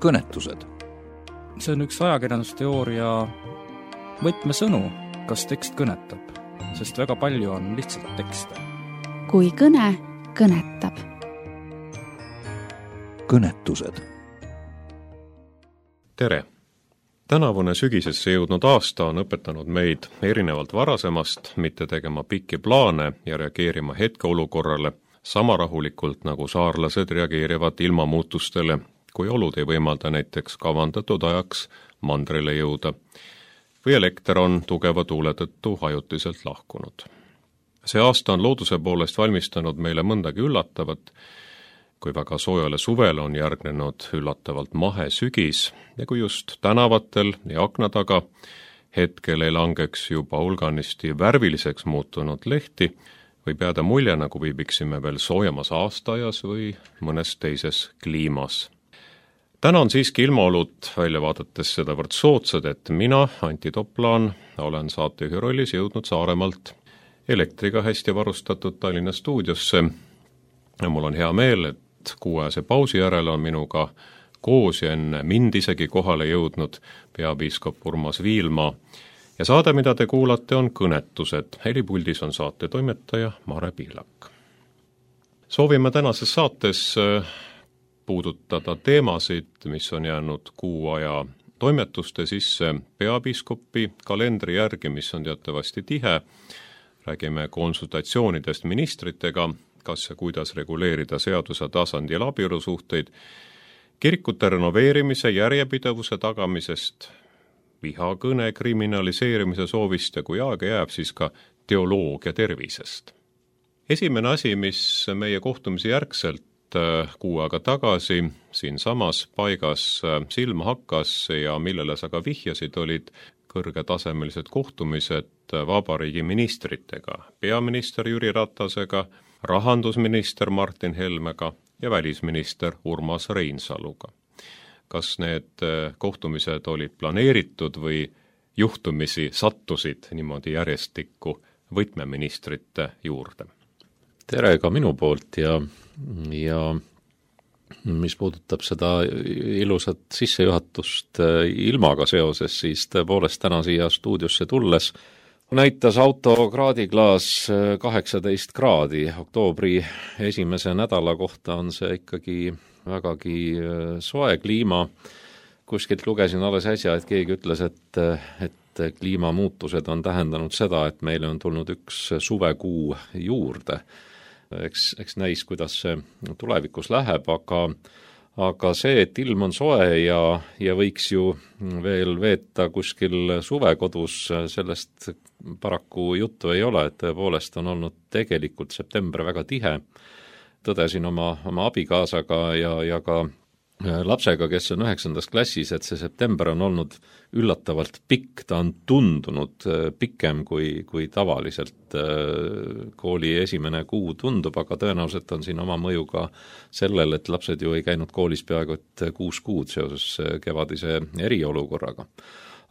kõnetused. See on üks ajakirjandusteooria võtmesõnu, kas tekst kõnetab, sest väga palju on lihtsalt tekste. Kui kõne kõnetab. Kõnetused. Tere! Tänavune sügisesse jõudnud aasta on õpetanud meid erinevalt varasemast mitte tegema pikki plaane ja reageerima hetkeolukorrale sama rahulikult, nagu saarlased reageerivad ilmamuutustele, kui olud ei võimalda näiteks kavandatud ajaks mandrile jõuda või elekter on tugeva tuule tõttu ajutiselt lahkunud. See aasta on looduse poolest valmistanud meile mõndagi üllatavat, kui väga soojale suvele on järgnenud üllatavalt mahe sügis ja kui just tänavatel ja akna taga hetkel ei langeks juba hulganisti värviliseks muutunud lehti, võib jääda mulje, nagu viibiksime veel soojemas aastaajas või mõnes teises kliimas. Täna on siiski ilmaolud välja vaadates sedavõrd soodsad, et mina, Anti Toplaan, olen saatejuhi rollis jõudnud Saaremaalt elektriga hästi varustatud Tallinna stuudiosse ja mul on hea meel, et kuuajase pausi järel on minuga koos ja enne mind isegi kohale jõudnud peapiiskop Urmas Viilma. Ja saade, mida te kuulate, on Kõnetused. Helipuldis on saate toimetaja Mare Pihlak. Soovime tänases saates puudutada teemasid, mis on jäänud kuu aja toimetuste sisse peapiiskopi kalendri järgi, mis on teatavasti tihe. Räägime konsultatsioonidest ministritega, kas ja kuidas reguleerida seaduse tasandil abielusuhteid, kirikute renoveerimise järjepidevuse tagamisest, vihakõne kriminaliseerimise soovist ja kui aega jääb, siis ka teoloogia tervisest. Esimene asi, mis meie kohtumise järgselt kuu aega tagasi siinsamas paigas silma hakkas ja millele sa ka vihjasid, olid kõrgetasemelised kohtumised vabariigi ministritega, peaminister Jüri Ratasega, rahandusminister Martin Helmega ja välisminister Urmas Reinsaluga. Kas need kohtumised olid planeeritud või juhtumisi sattusid niimoodi järjestikku võtmeministrite juurde? Tere ka minu poolt ja mis puudutab seda ilusat sissejuhatust ilmaga seoses, siis tõepoolest täna siia stuudiosse tulles näitas auto kraadiklaas 18 kraadi. Oktoobri esimese nädala kohta on see ikkagi vägagi soe kliima. Kuskilt lugesin alles äsja, et keegi ütles, et kliimamuutused on tähendanud seda, et meile on tulnud üks suvekuu juurde. Eks näis, kuidas see tulevikus läheb, aga see, et ilm on soe ja võiks ju veel veeta kuskil suvekodus, sellest paraku juttu ei ole, et tõepoolest on olnud tegelikult september väga tihe. Tõdesin oma abikaasaga ja ka lapsega, kes on 9. klassis, et see september on olnud üllatavalt pikk, ta on tundunud pikem kui tavaliselt kooli esimene kuu tundub, aga tõenäoliselt on siin oma mõju ka sellel, et lapsed ju ei käinud koolis peaaegu 6 kuud seoses kevadise eriolukorraga.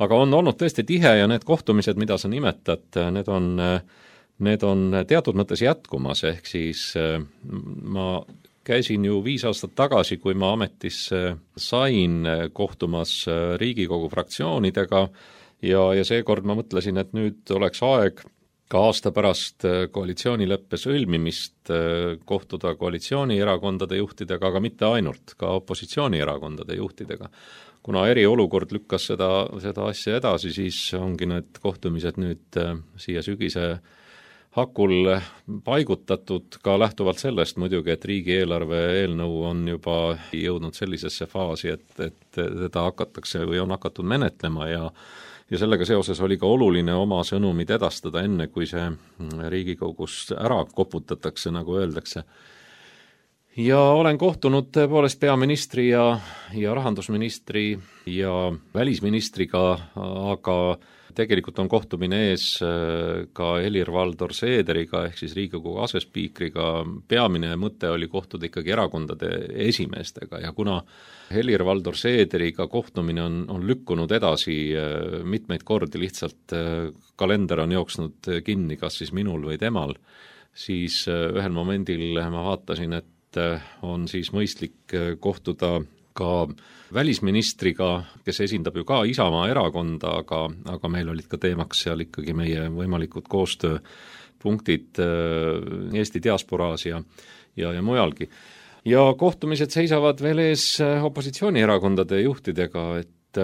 Aga on olnud tõesti tihe ja need kohtumised, mida sa nimetad, need on teatud mõttes jätkumas, ehk siis ma käisin ju 5 aastat tagasi, kui ma ametisse sain kohtumas Riigikogu fraktsioonidega ja seekord ma mõtlesin, et nüüd oleks aeg ka aasta pärast koalitsioonileppe sõlmimist kohtuda koalitsioonierakondade juhtidega, aga mitte ainult, ka opositsioonierakondade juhtidega. Kuna eriolukord lükkas seda asja edasi, siis ongi need kohtumised nüüd siia sügise hakul paigutatud ka lähtuvalt sellest muidugi, et riigieelarve eelnõu on juba jõudnud sellisesse faasi, et teda hakatakse või on hakatud menetlema ja sellega seoses oli ka oluline oma sõnumid edastada enne, kui see Riigikogus ära koputatakse, nagu öeldakse. Ja olen kohtunud tõepoolest peaministri ja rahandusministri ja välisministriga, aga tegelikult on kohtumine ees ka Helir-Valdor Seederiga ehk siis Riigikogu asespiikriga. Peamine mõte oli kohtuda ikkagi erakondade esimeestega ja kuna Helir-Valdor Seederiga kohtumine on lükkunud edasi mitmeid kordi, lihtsalt kalender on jooksnud kinni, kas siis minul või temal, siis ühel momendil ma vaatasin, et on siis mõistlik kohtuda ka välisministriga, kes esindab ju ka Isamaa erakonda, aga meil olid ka teemaks seal ikkagi meie võimalikud koostööpunktid Eesti diasporaas ja mujalgi. Ja kohtumised seisavad veel ees opositsioonierakondade juhtidega, et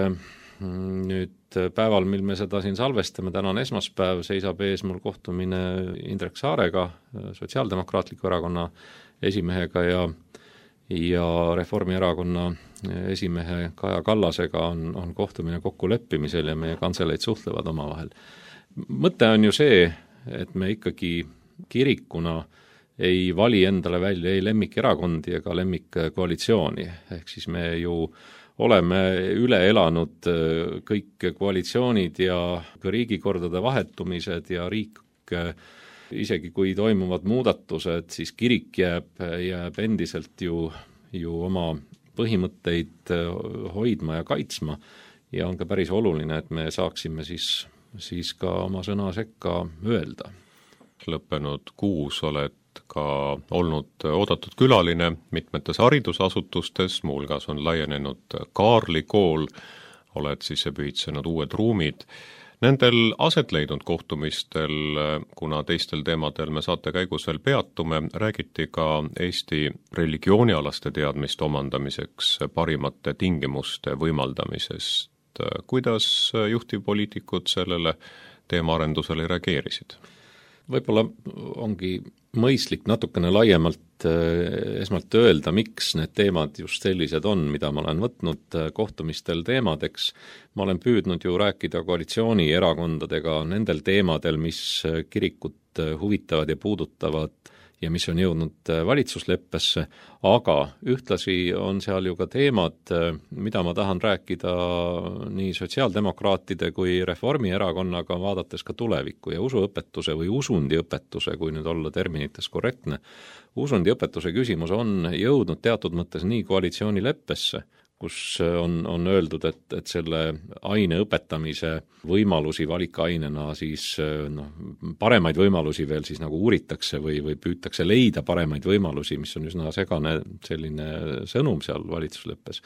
nüüd päeval, mil me seda siin salvestame, täna on esmaspäev, seisab ees mul kohtumine Indrek Saarega, Sotsiaaldemokraatliku erakonna esimehega ja Reformierakonna esimehe Kaja Kallasega on kohtumine kokkuleppimisel ja meie kantseleid suhtlevad omavahel. Mõte on ju see, et me ikkagi kirikuna ei vali endale välja ei lemmikerakondi ega lemmikkoalitsiooni, ehk siis me ju oleme üle elanud kõik koalitsioonid ja riigikordade vahetumised ja riik, isegi kui toimuvad muudatused, siis kirik jääb endiselt ju oma põhimõtteid hoidma ja kaitsma ja on ka päris oluline, et me saaksime siis ka oma sõna sekka öelda. Lõppenud kuus oled ka olnud oodatud külaline mitmetes haridusasutustes, muuhulgas on laienenud Kaarli kool, oled sisse pühitsenud uued ruumid. Nendel aset leidnud kohtumistel, kuna teistel teemadel me saate käigus veel peatume, räägiti ka Eesti religioonialaste teadmiste omandamiseks parimate tingimuste võimaldamisest. Kuidas juhtivpoliitikud sellele teemaarendusele reageerisid? Võib-olla ongi mõistlik natukene laiemalt esmalt öelda, miks need teemad just sellised on, mida ma olen võtnud kohtumistel teemadeks. Ma olen püüdnud ju rääkida koalitsioonierakondadega nendel teemadel, mis kirikut huvitavad ja puudutavad ja mis on jõudnud valitsusleppesse, aga ühtlasi on seal ju ka teemad, mida ma tahan rääkida nii sotsiaaldemokraatide kui Reformierakonnaga, vaadates ka tulevikku ja usuõpetuse või usundiõpetuse, kui nüüd olla terminites korrektne. Usundiõpetuse küsimus on jõudnud teatud mõttes nii koalitsioonileppesse, kus on öeldud, et selle aine õpetamise võimalusi valikainena siis paremaid võimalusi veel siis nagu uuritakse või püütakse leida paremaid võimalusi, mis on üsna segane selline sõnum seal valitsusleppes.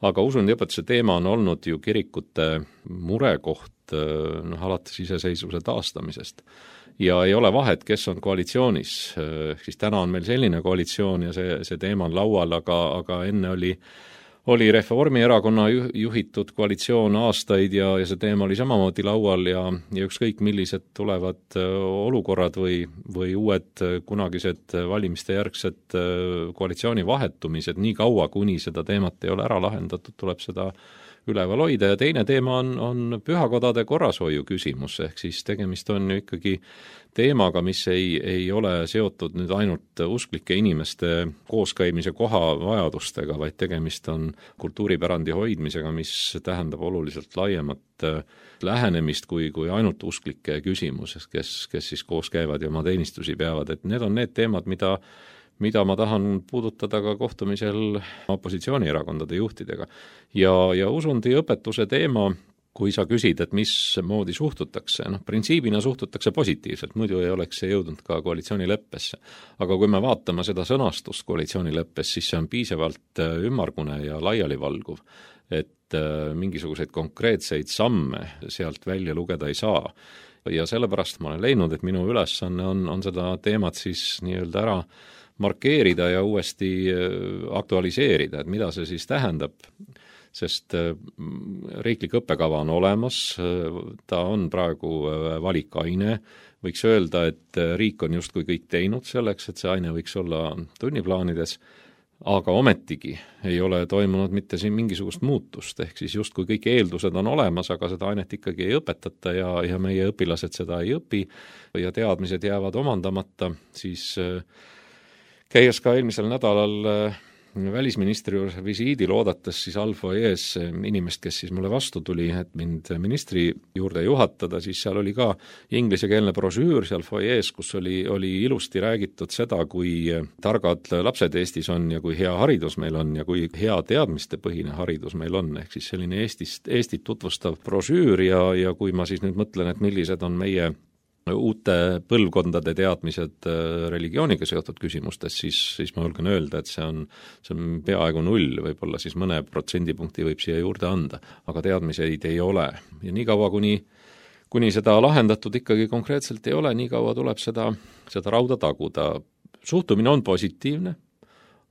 Aga usundiõpetuse teema on olnud ju kirikute murekoht alates iseseisvuse taastamisest. Ja ei ole vahet, kes on koalitsioonis, siis täna on meil selline koalitsioon ja see teema on laual, aga enne oli Reformierakonna juhitud koalitsioon aastaid ja see teema oli samamoodi laual ja ükskõik millised tulevad olukorrad või uued kunagised valimiste järgsed koalitsiooni vahetumised, nii kaua, kuni seda teemat ei ole ära lahendatud, tuleb seda üleval hoida ja teine teema on pühakodade korrashoiu küsimus, ehk siis tegemist on ju ikkagi teemaga, mis ei ole seotud nüüd ainult usklike inimeste kooskäimise koha vajadustega, vaid tegemist on kultuuripärandi hoidmisega, mis tähendab oluliselt laiemat lähenemist kui ainult usklike küsimuses, kes siis koos käivad ja oma teenistusi peavad, et need on need teemad, mida ma tahan puudutada ka kohtumisel opositsioonierakondade juhtidega. Ja usundiõpetuse teema, kui sa küsid, et mismoodi suhtutakse, printsiibina suhtutakse positiivselt, muidu ei oleks see jõudnud ka koalitsioonileppesse. Aga kui me vaatame seda sõnastust koalitsioonileppes, siis see on piisavalt ümmargune ja laialivalguv, et mingisuguseid konkreetseid samme sealt välja lugeda ei saa. Ja sellepärast ma olen leidnud, et minu ülesanne on seda teemat siis nii-öelda ära markeerida ja uuesti aktualiseerida, et mida see siis tähendab, sest riiklik õppekava on olemas, ta on praegu valikaine, võiks öelda, et riik on justkui kõik teinud selleks, et see aine võiks olla tunniplaanides, aga ometigi ei ole toimunud mitte siin mingisugust muutust, ehk siis justkui kõik eeldused on olemas, aga seda ainet ikkagi ei õpetata ja meie õpilased seda ei õpi ja teadmised jäävad omandamata, siis käies ka eelmisel nädalal välisministri juures visiidil oodates siis Alfoyees inimest, kes siis mulle vastu tuli, et mind ministri juurde juhatada, siis seal oli ka ingliskeelne brošüür seal foyees, kus oli ilusti räägitud seda, kui targad lapsed Eestis on ja kui hea haridus meil on ja kui hea teadmistepõhine haridus meil on, ehk siis selline Eestit tutvustav brošüür ja kui ma siis nüüd mõtlen, et millised on meie uute põlvkondade teadmised religiooniga seotud küsimustes, siis ma julgen öelda, et see on peaaegu 0, võib-olla siis mõne protsendipunkti võib siia juurde anda, aga teadmiseid ei ole. Ja nii kaua, kuni seda lahendatud ikkagi konkreetselt ei ole, nii kaua tuleb seda rauda taguda. Suhtumine on positiivne,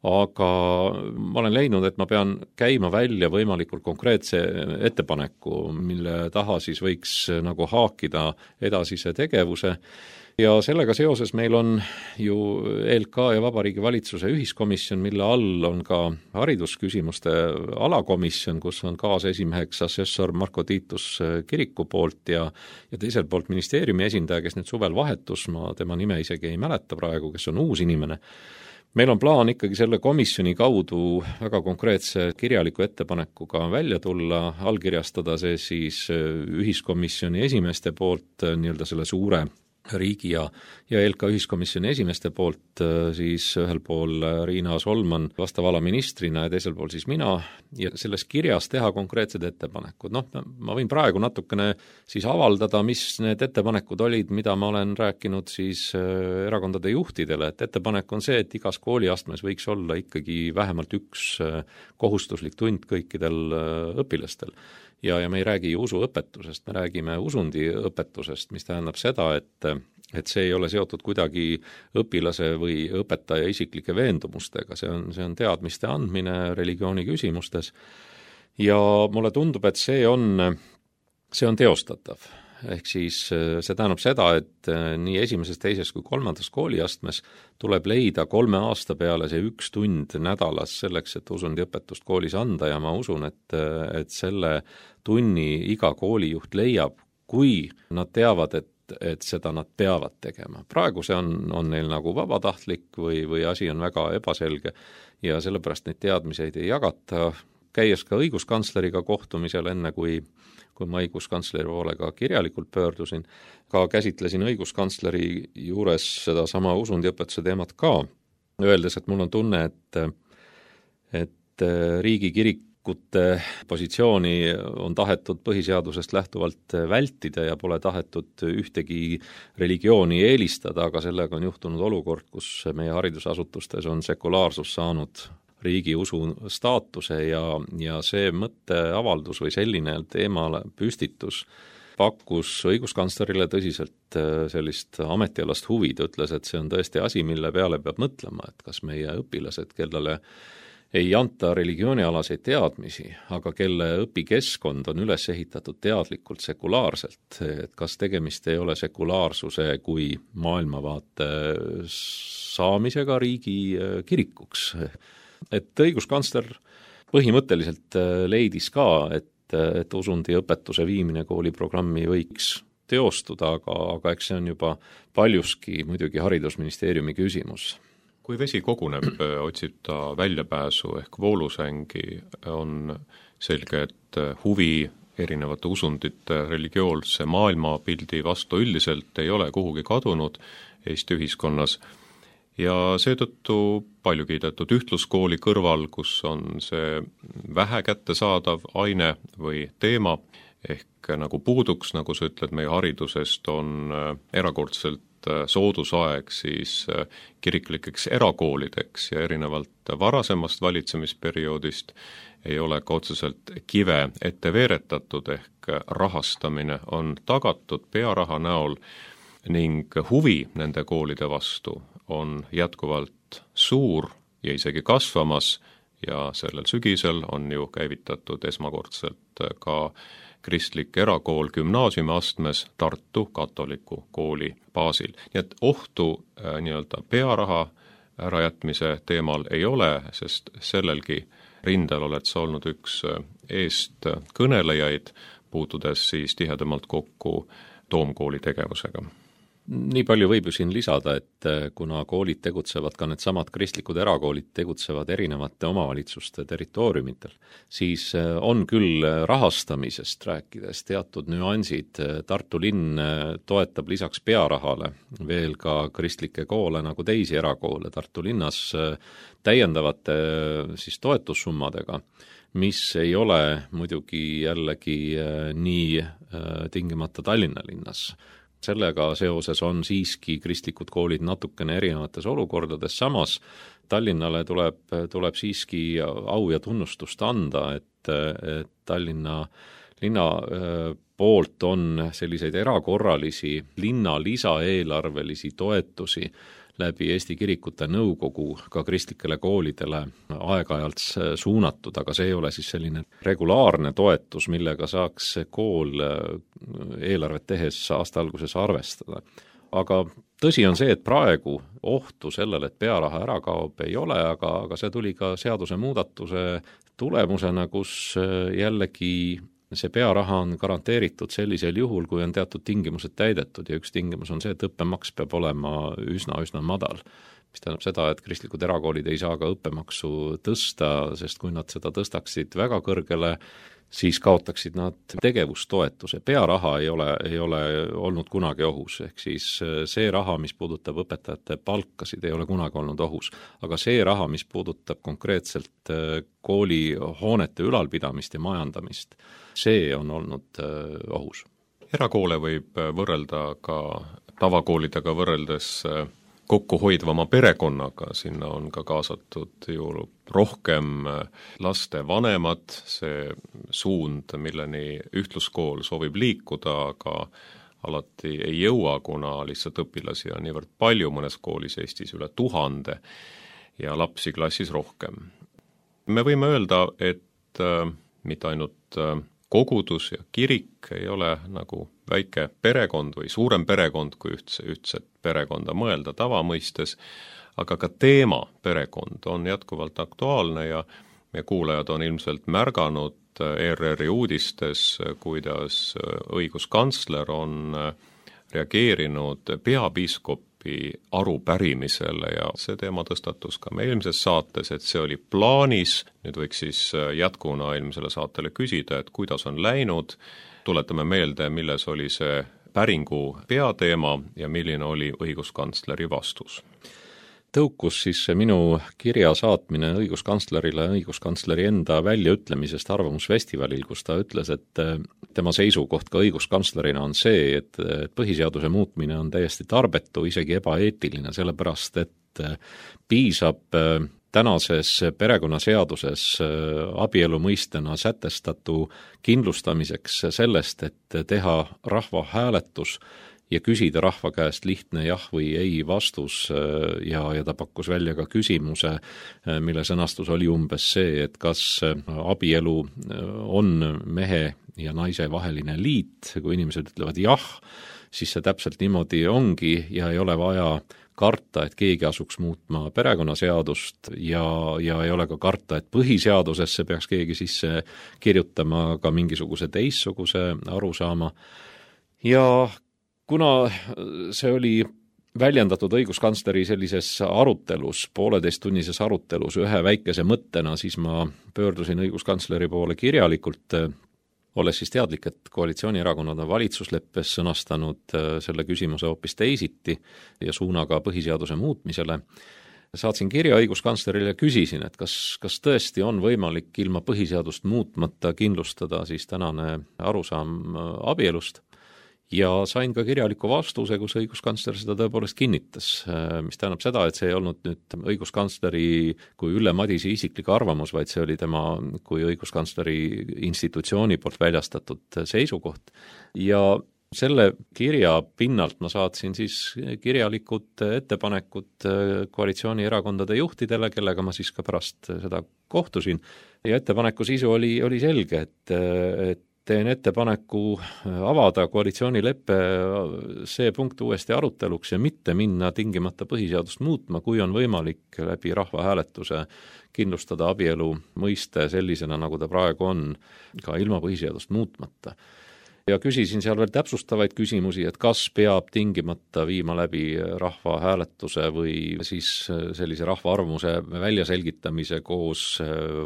aga ma olen leidnud, et ma pean käima välja võimalikult konkreetse ettepaneku, mille taha siis võiks nagu haakida edasise tegevuse. Ja sellega seoses meil on ju ELK ja Vabariigi Valitsuse ühiskomisjon, mille all on ka haridusküsimuste alakomisjon, kus on kaasesimeheks assessor Marko Tiitus kiriku poolt ja teiselt poolt ministeeriumi esindaja, kes nüüd suvel vahetus, ma tema nime isegi ei mäleta praegu, kes on uus inimene. Meil on plaan ikkagi selle komisjoni kaudu väga konkreetse kirjaliku ettepanekuga välja tulla, allkirjastada see siis ühiskomisjoni esimeeste poolt nii-öelda selle suure riigi ja ELK ühiskomisjoni esimeeste poolt, siis ühel pool Riina Solman vastava ala ministrina ja teisel pool siis mina, ja selles kirjas teha konkreetsed ettepanekud. Ma võin praegu natukene siis avaldada, mis need ettepanekud olid, mida ma olen rääkinud siis erakondade juhtidele, et ettepanek on see, et igas kooliastmes võiks olla ikkagi vähemalt üks kohustuslik tund kõikidel õpilastel. Ja me ei räägi usuõpetusest, me räägime usundiõpetusest, mis tähendab seda, et see ei ole seotud kuidagi õpilase või õpetaja isiklike veendumustega, see on teadmiste andmine religiooni küsimustes ja mulle tundub, et see on teostatav. Ehk siis see tähendab seda, et nii esimeses, teises kui kolmandas kooliastmes tuleb leida 3 aasta peale see 1 tund nädalas selleks, et usundiõpetust koolis anda ja ma usun, et selle tunni iga koolijuht leiab, kui nad teavad, et seda nad peavad tegema. Praegu see on neil nagu vabatahtlik või asi on väga ebaselge ja sellepärast neid teadmiseid ei jagata. Käies ka õiguskantsleriga kohtumisel enne, kui ma õiguskantsleri poolega kirjalikult pöördusin, ka käsitlesin õiguskantsleri juures seda sama usundiõpetuse teemat ka, öeldes, et mul on tunne, et riigikirikute positsiooni on tahetud põhiseadusest lähtuvalt vältida ja pole tahetud ühtegi religiooni eelistada, aga sellega on juhtunud olukord, kus meie haridusasutustes on sekulaarsus saanud riigi usu staatuse ja see mõtteavaldus või selline teemale püstitus pakkus õiguskantslerile tõsiselt sellist ametialast huvi. Ta ütles, et see on tõesti asi, mille peale peab mõtlema, et kas meie õpilased, kellele ei anta religioonialaseid teadmisi, aga kelle õpikeskkond on üles ehitatud teadlikult sekulaarselt, et kas tegemist ei ole sekulaarsuse kui maailmavaate saamisega riigi kirikuks. Et õiguskantsler põhimõtteliselt leidis ka, et usundiõpetuse viimine kooliprogrammi võiks teostuda, aga eks see on juba paljuski muidugi haridusministeeriumi küsimus. Kui vesi koguneb, otsib ta väljapääsu ehk voolusängi, on selge, et huvi erinevate usundite religioolse maailmapildi vastu üldiselt ei ole kuhugi kadunud Eesti ühiskonnas. Ja seetõttu palju kiidetud ühtluskooli kõrval, kus on see vähe kättesaadav aine või teema, ehk nagu puuduks, nagu sa ütled, meie haridusest on erakordselt soodusaeg siis kiriklikeks erakoolideks ja erinevalt varasemast valitsemisperioodist ei ole ka otseselt kive ette veeretatud, ehk rahastamine on tagatud pearaha näol ning huvi nende koolide vastu on jätkuvalt suur ja isegi kasvamas ja sellel sügisel on ju käivitatud esmakordselt ka kristlik erakool gümnaasiumiastmes Tartu katoliku kooli baasil. Nii et ohtu nii-öelda pearaha ärajätmise teemal ei ole, sest sellelgi rindel oled sa olnud üks eest kõnelejaid, puutudes siis tihedamalt kokku Toomkooli tegevusega. Nii palju võib ju siin lisada, et kuna koolid tegutsevad, ka need samad kristlikud erakoolid tegutsevad erinevate omavalitsuste territooriumitel, siis on küll rahastamisest rääkides teatud nüansid. Tartu linn toetab lisaks pearahale veel ka kristlikke koole nagu teisi erakoole Tartu linnas täiendavate siis toetussummadega, mis ei ole muidugi jällegi nii tingimata Tallinna linnas. sellega seoses on siiski kristlikud koolid natukene erinevates olukordades, samas Tallinnale tuleb siiski au ja tunnustust anda, et Tallinna linna poolt on selliseid erakorralisi linna lisaeelarvelisi toetusi läbi Eesti Kirikute Nõukogu ka kristlikele koolidele aeg-ajalt suunatud, aga see ei ole siis selline regulaarne toetus, millega saaks kool eelarvet tehes aasta alguses arvestada. Aga tõsi on see, et praegu ohtu sellele, et pearaha ära kaob, ei ole, aga see tuli ka seaduse muudatuse tulemusena, kus jällegi see pearaha on garanteeritud sellisel juhul, kui on teatud tingimused täidetud ja üks tingimus on see, et õppemaks peab olema üsna madal. Mis tähendab seda, et kristlikud erakoolid ei saa ka õppemaksu tõsta, sest kui nad seda tõstaksid väga kõrgele, siis kaotaksid nad tegevustoetuse. Pearaha ei ole olnud kunagi ohus, ehk siis see raha, mis puudutab õpetajate palkasid, ei ole kunagi olnud ohus. Aga see raha, mis puudutab konkreetselt koolihoonete ülalpidamist ja majandamist, see on olnud ohus. Erakoole võib võrrelda ka tavakoolidega võrreldes kokkuhoidvama perekonnaga, sinna on ka kaasatud ju rohkem laste vanemad, see suund, milleni ühtluskool soovib liikuda, aga alati ei jõua, kuna lihtsalt õpilasi on niivõrd palju, mõnes koolis Eestis üle 1000 ja lapsi klassis rohkem. Me võime öelda, et mitte ainult kogudus ja kirik ei ole nagu väike perekond või suurem perekond, kui ühtset perekonda mõelda tavamõistes, aga ka teema perekond on jätkuvalt aktuaalne ja meie kuulajad on ilmselt märganud ERR-i uudistes, kuidas õiguskantsler on reageerinud peapiiskopi arupärimisele ja see teema tõstatus ka meie eelmises saates, et see oli plaanis. Nüüd võiks siis jätkuna eelmisele saatele küsida, et kuidas on läinud. Tuletame meelde, milles oli see päringu peateema ja milline oli õiguskantsleri vastus. Tõukus siis minu kirja saatmine õiguskantslerile õiguskantsleri enda väljaütlemisest arvamusfestivalil, kus ta ütles, et tema seisukoht ka õiguskantslerina on see, et põhiseaduse muutmine on täiesti tarbetu, isegi ebaeetiline, sellepärast et piisab tänases perekonnaseaduses abielu mõistena sätestatu kindlustamiseks sellest, et teha rahvahääletus ja küsida rahva käest lihtne jah või ei vastus ja ta pakkus välja ka küsimuse, mille sõnastus oli umbes see, et kas abielu on mehe ja naise vaheline liit, kui inimesed ütlevad jah, siis see täpselt niimoodi ongi ja ei ole vaja karta, et keegi asuks muutma perekonnaseadust ja ei ole ka karta, et põhiseadusesse peaks keegi sisse kirjutama ka mingisuguse teistsuguse arusaama. Ja kuna see oli väljendatud õiguskantsleri sellises arutelus, 1,5-tunnises arutelus ühe väikese mõttena, siis ma pöördusin õiguskantsleri poole kirjalikult, olles siis teadlik, et koalitsioonierakonnad on valitsusleppes sõnastanud selle küsimuse hoopis teisiti ja suunaga põhiseaduse muutmisele. Saatsin kirja õiguskantslerile ja küsisin, et kas tõesti on võimalik ilma põhiseadust muutmata kindlustada siis tänane arusaam abielust. Ja sain ka kirjaliku vastuse, kus õiguskantsler seda tõepoolest kinnitas, mis tähendab seda, et see ei olnud nüüd õiguskantsleri kui Ülle Madise isiklik arvamus, vaid see oli tema kui õiguskantsleri institutsiooni poolt väljastatud seisukoht. Ja selle kirja pinnalt ma saatsin siis kirjalikud ettepanekud koalitsioonierakondade juhtidele, kellega ma siis ka pärast seda kohtusin. Ja ettepaneku sisu oli selge, et teen ettepaneku avada koalitsioonileppe see punkt uuesti aruteluks ja mitte minna tingimata põhiseadust muutma, kui on võimalik läbi rahvahääletuse kindlustada abielu mõiste sellisena, nagu ta praegu on, ka ilma põhiseadust muutmata. Ja küsisin seal veel täpsustavaid küsimusi, et kas peab tingimata viima läbi rahvahääletuse või siis sellise rahvaarvamuse väljaselgitamise koos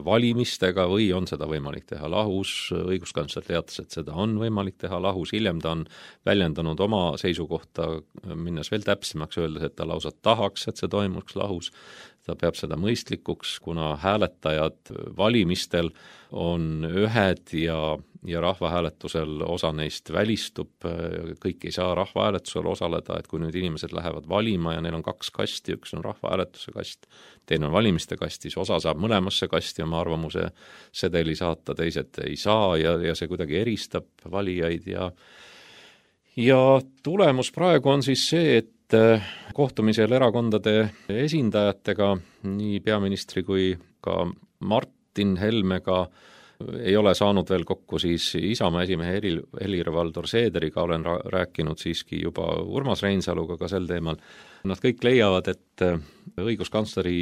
valimistega või on seda võimalik teha lahus. Õiguskantsler teatas, et seda on võimalik teha lahus. Hiljem ta on väljendanud oma seisukohta, minnes veel täpsemaks, öeldes, et ta lausa tahaks, et see toimuks lahus. ta peab seda mõistlikuks, kuna hääletajad valimistel on ühed ja rahvahääletusel osa neist välistub, kõik ei saa rahvahääletusel osaleda, et kui nüüd inimesed lähevad valima ja neil on 2 kasti, üks on rahvahääletuse kast, teine on valimiste kast, siis osa saab mõlemasse kasti oma arvamuse sedeli saata, teised ei saa ja see kuidagi eristab valijaid ja tulemus praegu on siis see, et kohtumisel erakondade esindajatega, nii peaministri kui ka Martin Helmega ei ole saanud veel kokku siis Isamaa esimehe Helir-Valdor Seederiga, olen rääkinud siiski juba Urmas Reinsaluga ka sel teemal. Nad kõik leiavad, et õiguskantsleri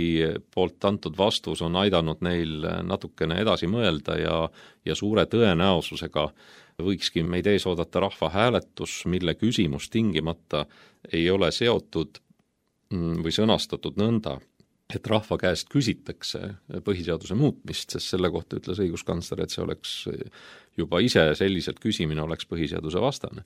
poolt antud vastus on aidanud neil natukene edasi mõelda ja suure tõenäosusega võikski meid ees oodata rahvahääletus, mille küsimus tingimata ei ole seotud või sõnastatud nõnda, et rahva käest küsitakse põhiseaduse muutmist, sest selle kohta ütles õiguskantsler, et see oleks juba ise selliselt küsimine oleks põhiseaduse vastane.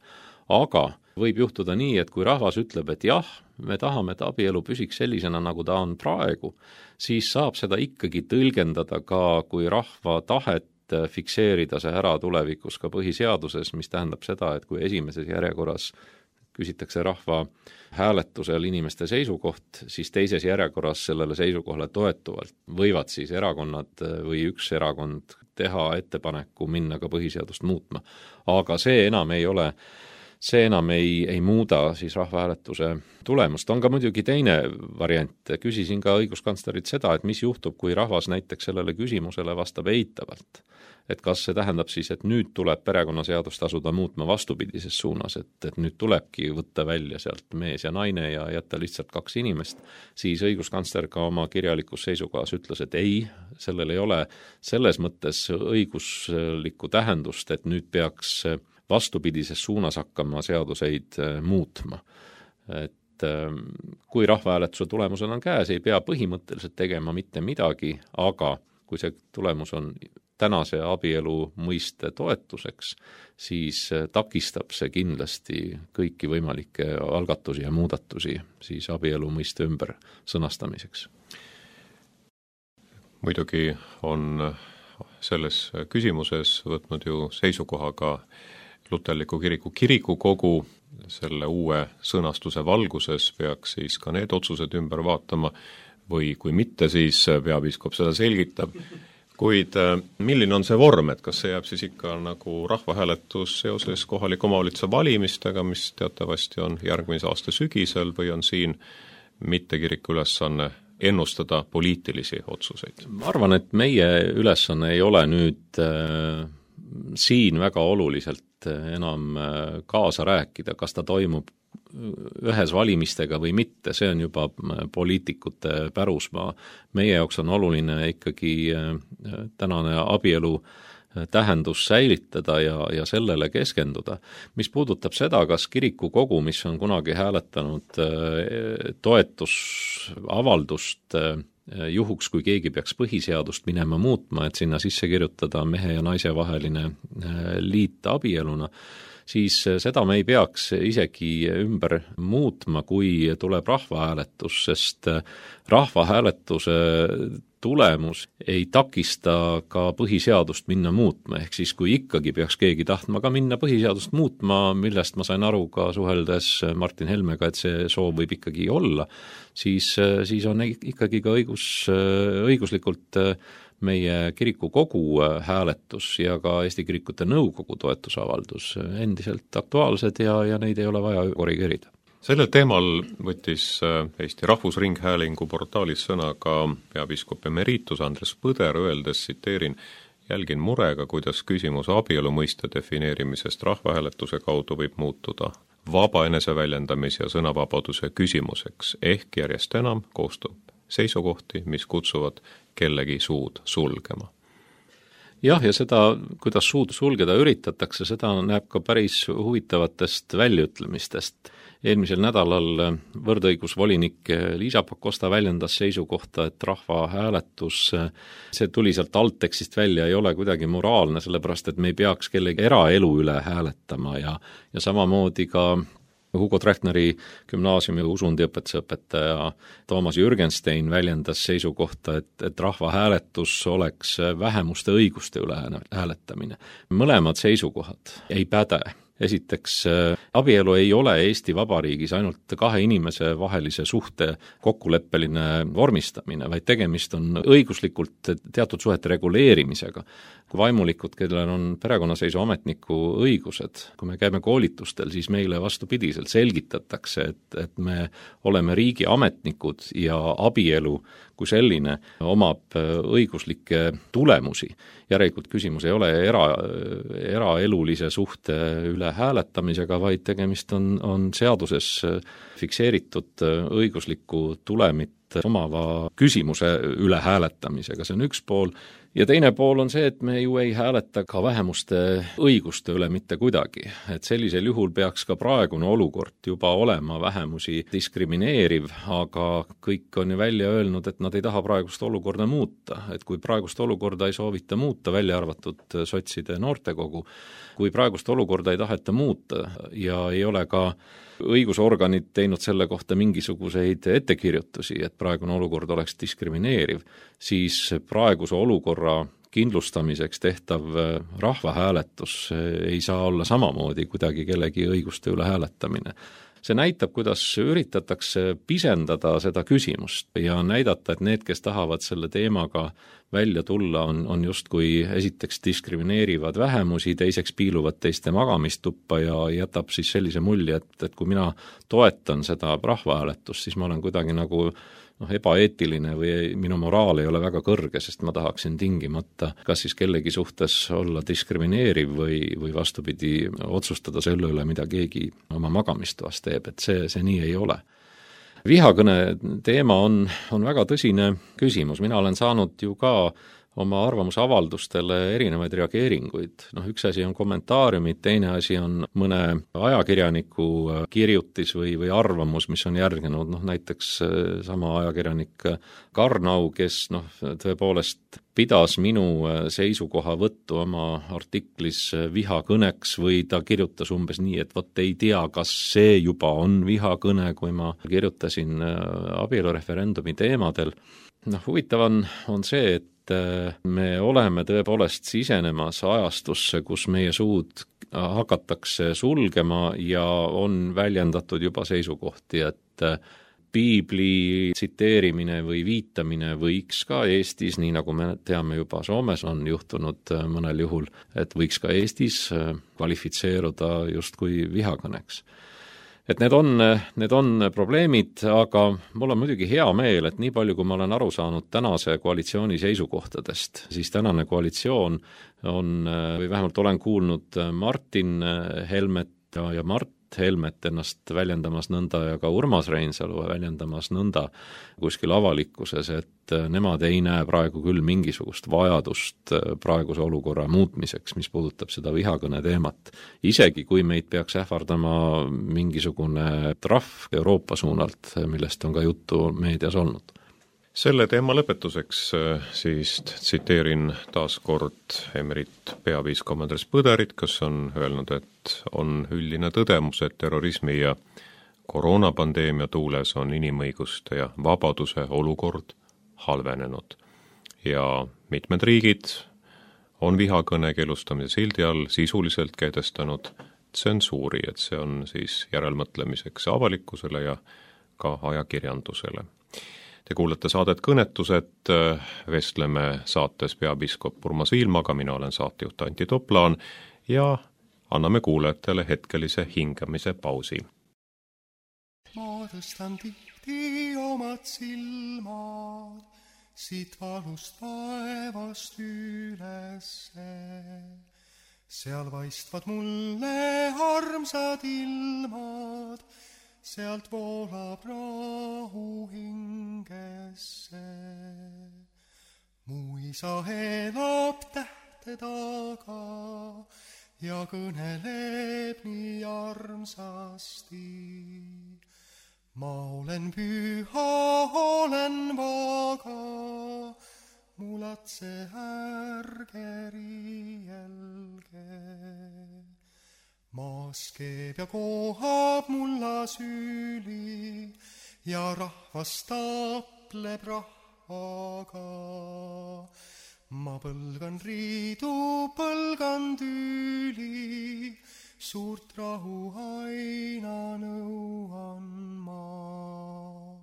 Aga võib juhtuda nii, et kui rahvas ütleb, et jah, me tahame, et abielu püsiks sellisena, nagu ta on praegu, siis saab seda ikkagi tõlgendada ka kui rahva tahet fikseerida see ära tulevikus ka põhiseaduses, mis tähendab seda, et kui esimeses järjekorras küsitakse rahva hääletusel inimeste seisukoht, siis teises järjekorras sellele seisukohale toetuvalt võivad siis erakonnad või üks erakond teha ettepaneku minna ka põhiseadust muutma. Aga see enam ei muuda siis rahvahääletuse tulemust. On ka muidugi teine variant. Küsisin ka õiguskantslerit seda, et mis juhtub, kui rahvas näiteks sellele küsimusele vastab eitavalt. Et kas see tähendab siis, et nüüd tuleb perekonnaseadust asuda muutma vastupidises suunas, et nüüd tulebki võtta välja sealt mees ja naine ja jätta lihtsalt 2 inimest, siis õiguskantsler ka oma kirjalikus seisukohas ütles, et ei, sellel ei ole selles mõttes õiguslikku tähendust, et nüüd peaks vastupidises suunas hakkama seaduseid muutma. Et kui rahvahääletuse tulemusel on käes, ei pea põhimõtteliselt tegema mitte midagi, aga kui see tulemus on tänase abielu mõiste toetuseks, siis takistab see kindlasti kõiki võimalikke algatusi ja muudatusi siis abielu mõiste ümber sõnastamiseks. Muidugi on selles küsimuses võtnud ju seisukoha ka Luterliku kiriku kirikukogu, selle uue sõnastuse valguses peaks siis ka need otsused ümber vaatama või kui mitte, siis peapiiskop seda selgitab. Kuid milline on see vorm, et kas see jääb siis ikka nagu rahvahääletus seoses kohaliku omavalitsuse valimistega, mis teatavasti on järgmise aasta sügisel, või on siin mitte kiriku ülesanne ennustada poliitilisi otsuseid? Ma arvan, et meie ülesanne ei ole nüüd siin väga oluliselt enam kaasa rääkida, kas ta toimub ühes valimistega või mitte, see on juba poliitikute pärusmaa. Meie jaoks on oluline ikkagi tänane abielu tähendus säilitada ja sellele keskenduda. Mis puudutab seda, kas kirikukogu, mis on kunagi hääletanud toetusavaldust juhuks, kui keegi peaks põhiseadust minema muutma, et sinna sisse kirjutada mehe ja naise vaheline liit abieluna, siis seda me ei peaks isegi ümber muutma, kui tuleb rahvahääletus, sest rahvahääletuse tulemus ei takista ka põhiseadust minna muutma, ehk siis kui ikkagi peaks keegi tahtma ka minna põhiseadust muutma, millest ma sain aru ka suheldes Martin Helmega, et see soov võib ikkagi olla, siis on ikkagi ka õiguslikult meie kirikukogu hääletus ja ka Eesti Kirikute Nõukogu toetusavaldus endiselt aktuaalsed ja neid ei ole vaja korrigeerida. Sellel teemal võttis Eesti Rahvusringhäälingu portaalis sõna ka peapiiskop emeritus Andres Põder, öeldes, tsiteerin, jälgin murega, kuidas küsimus abielu mõiste defineerimisest rahvahääletuse kaudu võib muutuda vaba eneseväljendamise ja sõnavabaduse küsimuseks, ehk järjest enam koostub seisukohti, mis kutsuvad kellegi suud sulgema. Jah, ja seda, kuidas suud sulgeda üritatakse, seda näeb ka päris huvitavatest väljaütlemistest. Eelmisel nädalal võrdõigusvolinik Liisa Pakosta väljendas seisukohta, et rahvahääletus, see tuli sealt alttekstist välja, ei ole kuidagi moraalne, sellepärast et me ei peaks kellegi eraelu üle hääletama ja samamoodi ka Hugo Trechtneri gümnaasiumi usundiõpetuse õpetaja Toomas Jürgenstein väljendas seisukohta, et rahvahääletus oleks vähemuste õiguste üle hääletamine. Mõlemad seisukohad ei päde. Esiteks, abielu ei ole Eesti Vabariigis ainult kahe inimese vahelise suhte kokkuleppeline vormistamine, vaid tegemist on õiguslikult teatud suhete reguleerimisega. Vaimulikud, kellel on perekonnaseisuametniku õigused, kui me käime koolitustel, siis meile vastupidiselt selgitatakse, et me oleme riigi ametnikud ja abielu kui selline omab õiguslikke tulemusi. Järelikult küsimus ei ole eraelulise suhte üle hääletamisega, vaid tegemist on seaduses fikseeritud õiguslikku tulemit omava küsimuse üle hääletamisega, see on üks pool. Ja teine pool on see, et me ju ei hääleta ka vähemuste õiguste üle mitte kuidagi. Et sellisel juhul peaks ka praegune olukord juba olema vähemusi diskrimineeriv, aga kõik on ju välja öelnud, et nad ei taha praegust olukorda muuta. Et kui praegust olukorda ei soovita muuta, välja arvatud sotside noortekogu, kui praegust olukorda ei taheta muuta ja ei ole ka õigusorganid teinud selle kohta mingisuguseid ettekirjutusi, et praegune olukord oleks diskrimineeriv, siis praeguse olukorra kindlustamiseks tehtav rahvahääletus ei saa olla samamoodi kuidagi kellegi õiguste üle hääletamine. See näitab, kuidas üritatakse pisendada seda küsimust ja näidata, et need, kes tahavad selle teemaga välja tulla, on justkui esiteks diskrimineerivad vähemusi, teiseks piiluvad teiste magamistuppa ja jätab siis sellise mulje, et kui mina toetan seda rahvahääletust, siis ma olen kuidagi nagu ebaeetiline või minu moraal ei ole väga kõrge, sest ma tahaksin tingimata kas siis kellegi suhtes olla diskrimineeriv või vastupidi otsustada selle üle, mida keegi oma magamistoas teeb, et see nii ei ole. Vihakõne teema on väga tõsine küsimus, mina olen saanud ju ka oma arvamusavaldustele erinevaid reageeringuid. Üks asi on kommentaariumid, teine asi on mõne ajakirjaniku kirjutis või arvamus, mis on järgnenud, näiteks sama ajakirjanik Karnau, kes tõepoolest pidas minu seisukohavõttu oma artiklis vihakõneks või ta kirjutas umbes nii, et vot ei tea, kas see juba on vihakõne, kui ma kirjutasin abielureferendumi teemadel. Huvitav on see, et me oleme tõepoolest sisenemas ajastusse, kus meie suud hakatakse sulgema ja on väljendatud juba seisukohti, et piibli tsiteerimine või viitamine võiks ka Eestis, nii nagu me teame juba Soomes on juhtunud mõnel juhul, et võiks ka Eestis kvalifitseeruda justkui vihakõneks. Et need on probleemid, aga mul on muidugi hea meel, et nii palju, kui ma olen aru saanud tänase koalitsiooni seisukohtadest, siis tänane koalitsioon on, või vähemalt olen kuulnud Martin Helmet ja Mart Helmet ennast väljendamas nõnda ja ka Urmas Reinsalu väljendamas nõnda kuskil avalikkuses, et nemad ei näe praegu küll mingisugust vajadust praeguse olukorra muutmiseks, mis puudutab seda vihakõne teemat. Isegi kui meid peaks ähvardama mingisugune trahv Euroopa suunalt, millest on ka juttu meedias olnud. Selle teema lõpetuseks siis tsiteerin taas kord emerit peapiiskop Andres Põderit, kes on öelnud, et on üldine tõdemus, et terrorismi ja koroonapandeemia tuules on inimõiguste ja vabaduse olukord halvenenud. Ja mitmed riigid on vihakõne keelustamise sildi all sisuliselt kehtestanud tsensuuri, et see on siis järelmõtlemiseks avalikkusele ja ka ajakirjandusele. Te kuulete saadet Kõnetused, vestleme saates peapiiskop Urmas Viilmaga, mina olen saatejuht Antti Toplaan ja anname kuulajatele hetkelise hingamise pausi. Ma tõstan tihti omad silmad siit valust taevast ülesse. Seal vaistvad mulle armsad ilmad, sealt voolab rahu hingesse. Mu isa elab tähte taga ja kõneleb nii armsasti. Ma olen püha, olen vaga, mu latse ärge riielge. Ma laskeb ja kohab mulla süüli ja rahvas tapleb rahvaga. Ma põlgan riidu, põlgan tüüli, suurt rahu aina nõuan ma.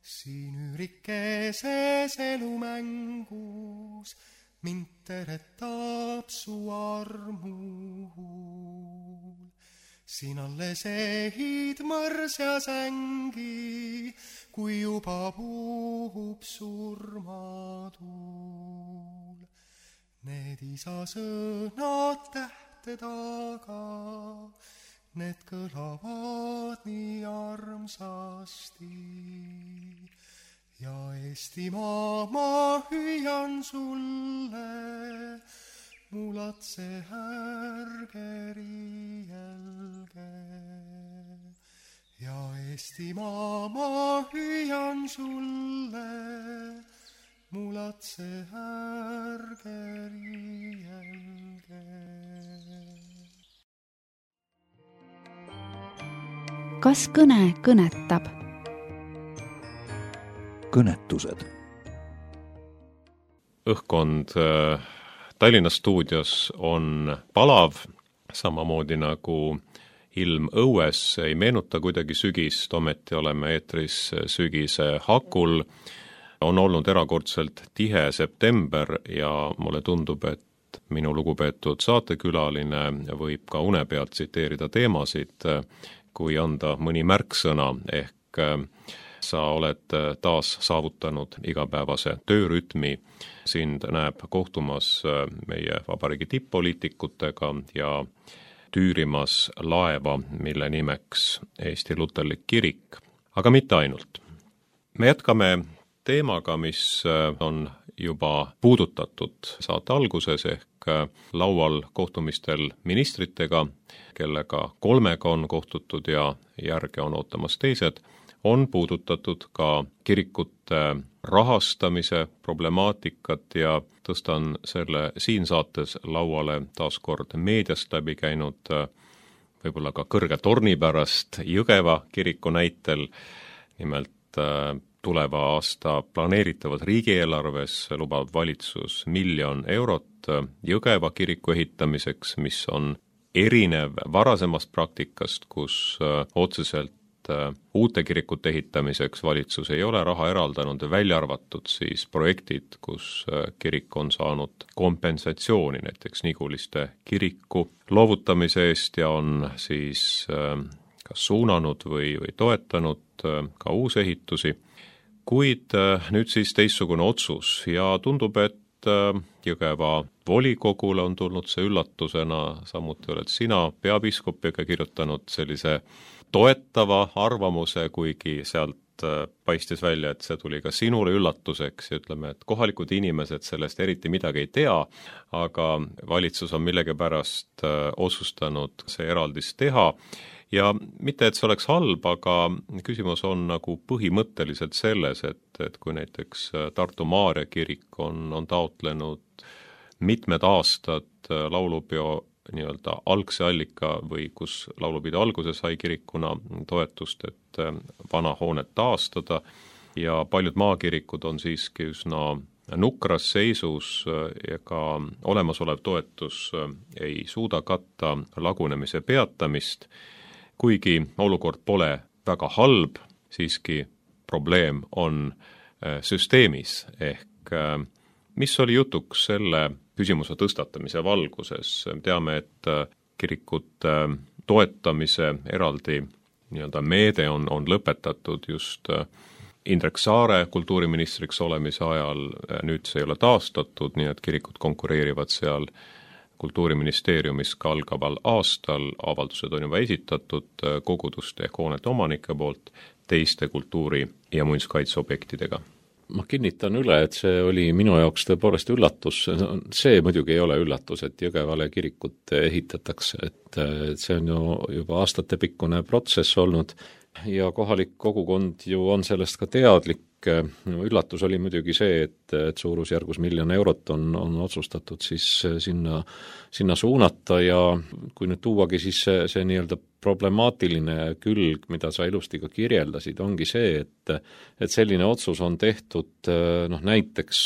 Siin üürikeses elumängus mind teretab su armuhul. Siin alles ehid mõrs ja sängi, kui juba puhub surmatuul. Need isa sõnad tähte taga, need kõlavad nii armsasti. Ja Eestimaa ma hüüan sulle, mulatse ärge riielge. Ja Eestimaa ma hüüan sulle, mulatse ärge riielge. Kas kõne kõnetab? Kõnetused. Õhkkond Tallinna stuudios on palav, samamoodi nagu ilm õues ei meenuta kuidagi sügist, ometi oleme eetris sügise hakul. On olnud erakordselt tihe september ja mulle tundub, et minu lugupeetud saatekülaline võib ka une pealt tsiteerida teemasid, kui anda mõni märksõna, ehk sa oled taas saavutanud igapäevase töörütmi. Sind näeb kohtumas meie vabariigi tipp-poliitikutega ja tüürimas laeva, mille nimeks Eesti Luterlik Kirik. Aga mitte ainult. Me jätkame teemaga, mis on juba puudutatud saate alguses, ehk laual kohtumistel ministritega, kellega 3 on kohtutud ja järge on ootamas teised, on puudutatud ka kirikute rahastamise problemaatikat ja tõstan selle siin saates lauale taaskord meediast läbi käinud võib-olla ka kõrge torni pärast Jõgeva kiriku näitel. Nimelt tuleva aasta planeeritavad riigieelarves lubab valitsus 1 000 000 eurot Jõgeva kiriku ehitamiseks, mis on erinev varasemast praktikast, kus otseselt uute kirikute ehitamiseks valitsus ei ole raha eraldanud, välja arvatud siis projektid, kus kirik on saanud kompensatsiooni näiteks Niguliste kiriku loovutamise eest ja on siis kas suunanud või toetanud ka uusehitusi. Kuid nüüd siis teistsugune otsus ja tundub, et Jõgeva volikogule on tulnud see üllatusena, samuti oled sina peapiiskopiga kirjutanud sellise toetava arvamuse, kuigi sealt paistis välja, et see tuli ka sinule üllatuseks ja ütleme, et kohalikud inimesed sellest eriti midagi ei tea, aga valitsus on millegipärast otsustanud see eraldis teha. Ja mitte, et see oleks halb, aga küsimus on nagu põhimõtteliselt selles, et kui näiteks Tartu Maarja kirik on taotlenud mitmed aastad laulupeo nii-öelda algse allika või kus laulupidu alguse sai kirikuna toetust, et vana hoonet taastada ja paljud maakirikud on siiski üsna nukras seisus ja ka olemasolev toetus ei suuda katta lagunemise peatamist. Kuigi olukord pole väga halb, siiski probleem on süsteemis, ehk mis oli jutuks selle küsimuse tõstatamise valguses. Teame, et kirikute toetamise eraldi nii-öelda meede on lõpetatud just Indrek Saare kultuuriministriks olemise ajal, nüüd see ei ole taastatud, nii et kirikud konkureerivad seal Kultuuriministeeriumis ka algaval aastal, avaldused on juba esitatud koguduste ehk hoonete omanike poolt teiste kultuuri- ja muinsuskaitseobjektidega. Ma kinnitan üle, et see oli minu jaoks tõepoolest üllatus. See muidugi ei ole üllatus, et Jõgevale kirikut ehitatakse, et see on ju juba aastatepikkune protsess olnud ja kohalik kogukond ju on sellest ka teadlik üllatus oli muidugi see, et suurusjärgus 1 000 000 eurot on otsustatud siis sinna suunata ja kui nüüd tuuagi siis see nii-öelda problemaatiline külg, mida sa ilusti ka kirjeldasid, ongi see, et selline otsus on tehtud näiteks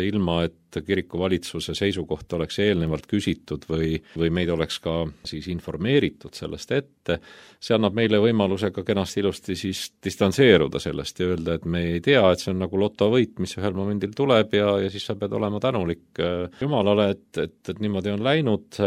ilma, et kiriku valitsuse seisukohta oleks eelnevalt küsitud või meid oleks ka siis informeeritud sellest ette. See annab meile võimaluse ka kenasti ilusti siis distantseeruda sellest ja öelda, et me ei tea, et see on nagu lotovõit, mis ühel momendil tuleb ja siis sa pead olema tänulik Jumalale, et niimoodi on läinud.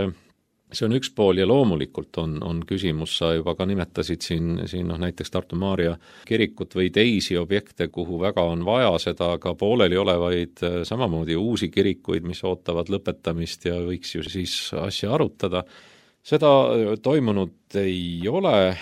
See on üks pool ja loomulikult on küsimus, sa juba ka nimetasid siin näiteks Tartu Maarja kirikut või teisi objekte, kuhu väga on vaja seda ka pooleli olevaid samamoodi uusi kirikuid, mis ootavad lõpetamist ja võiks ju siis asja arutada. Seda toimunud ei ole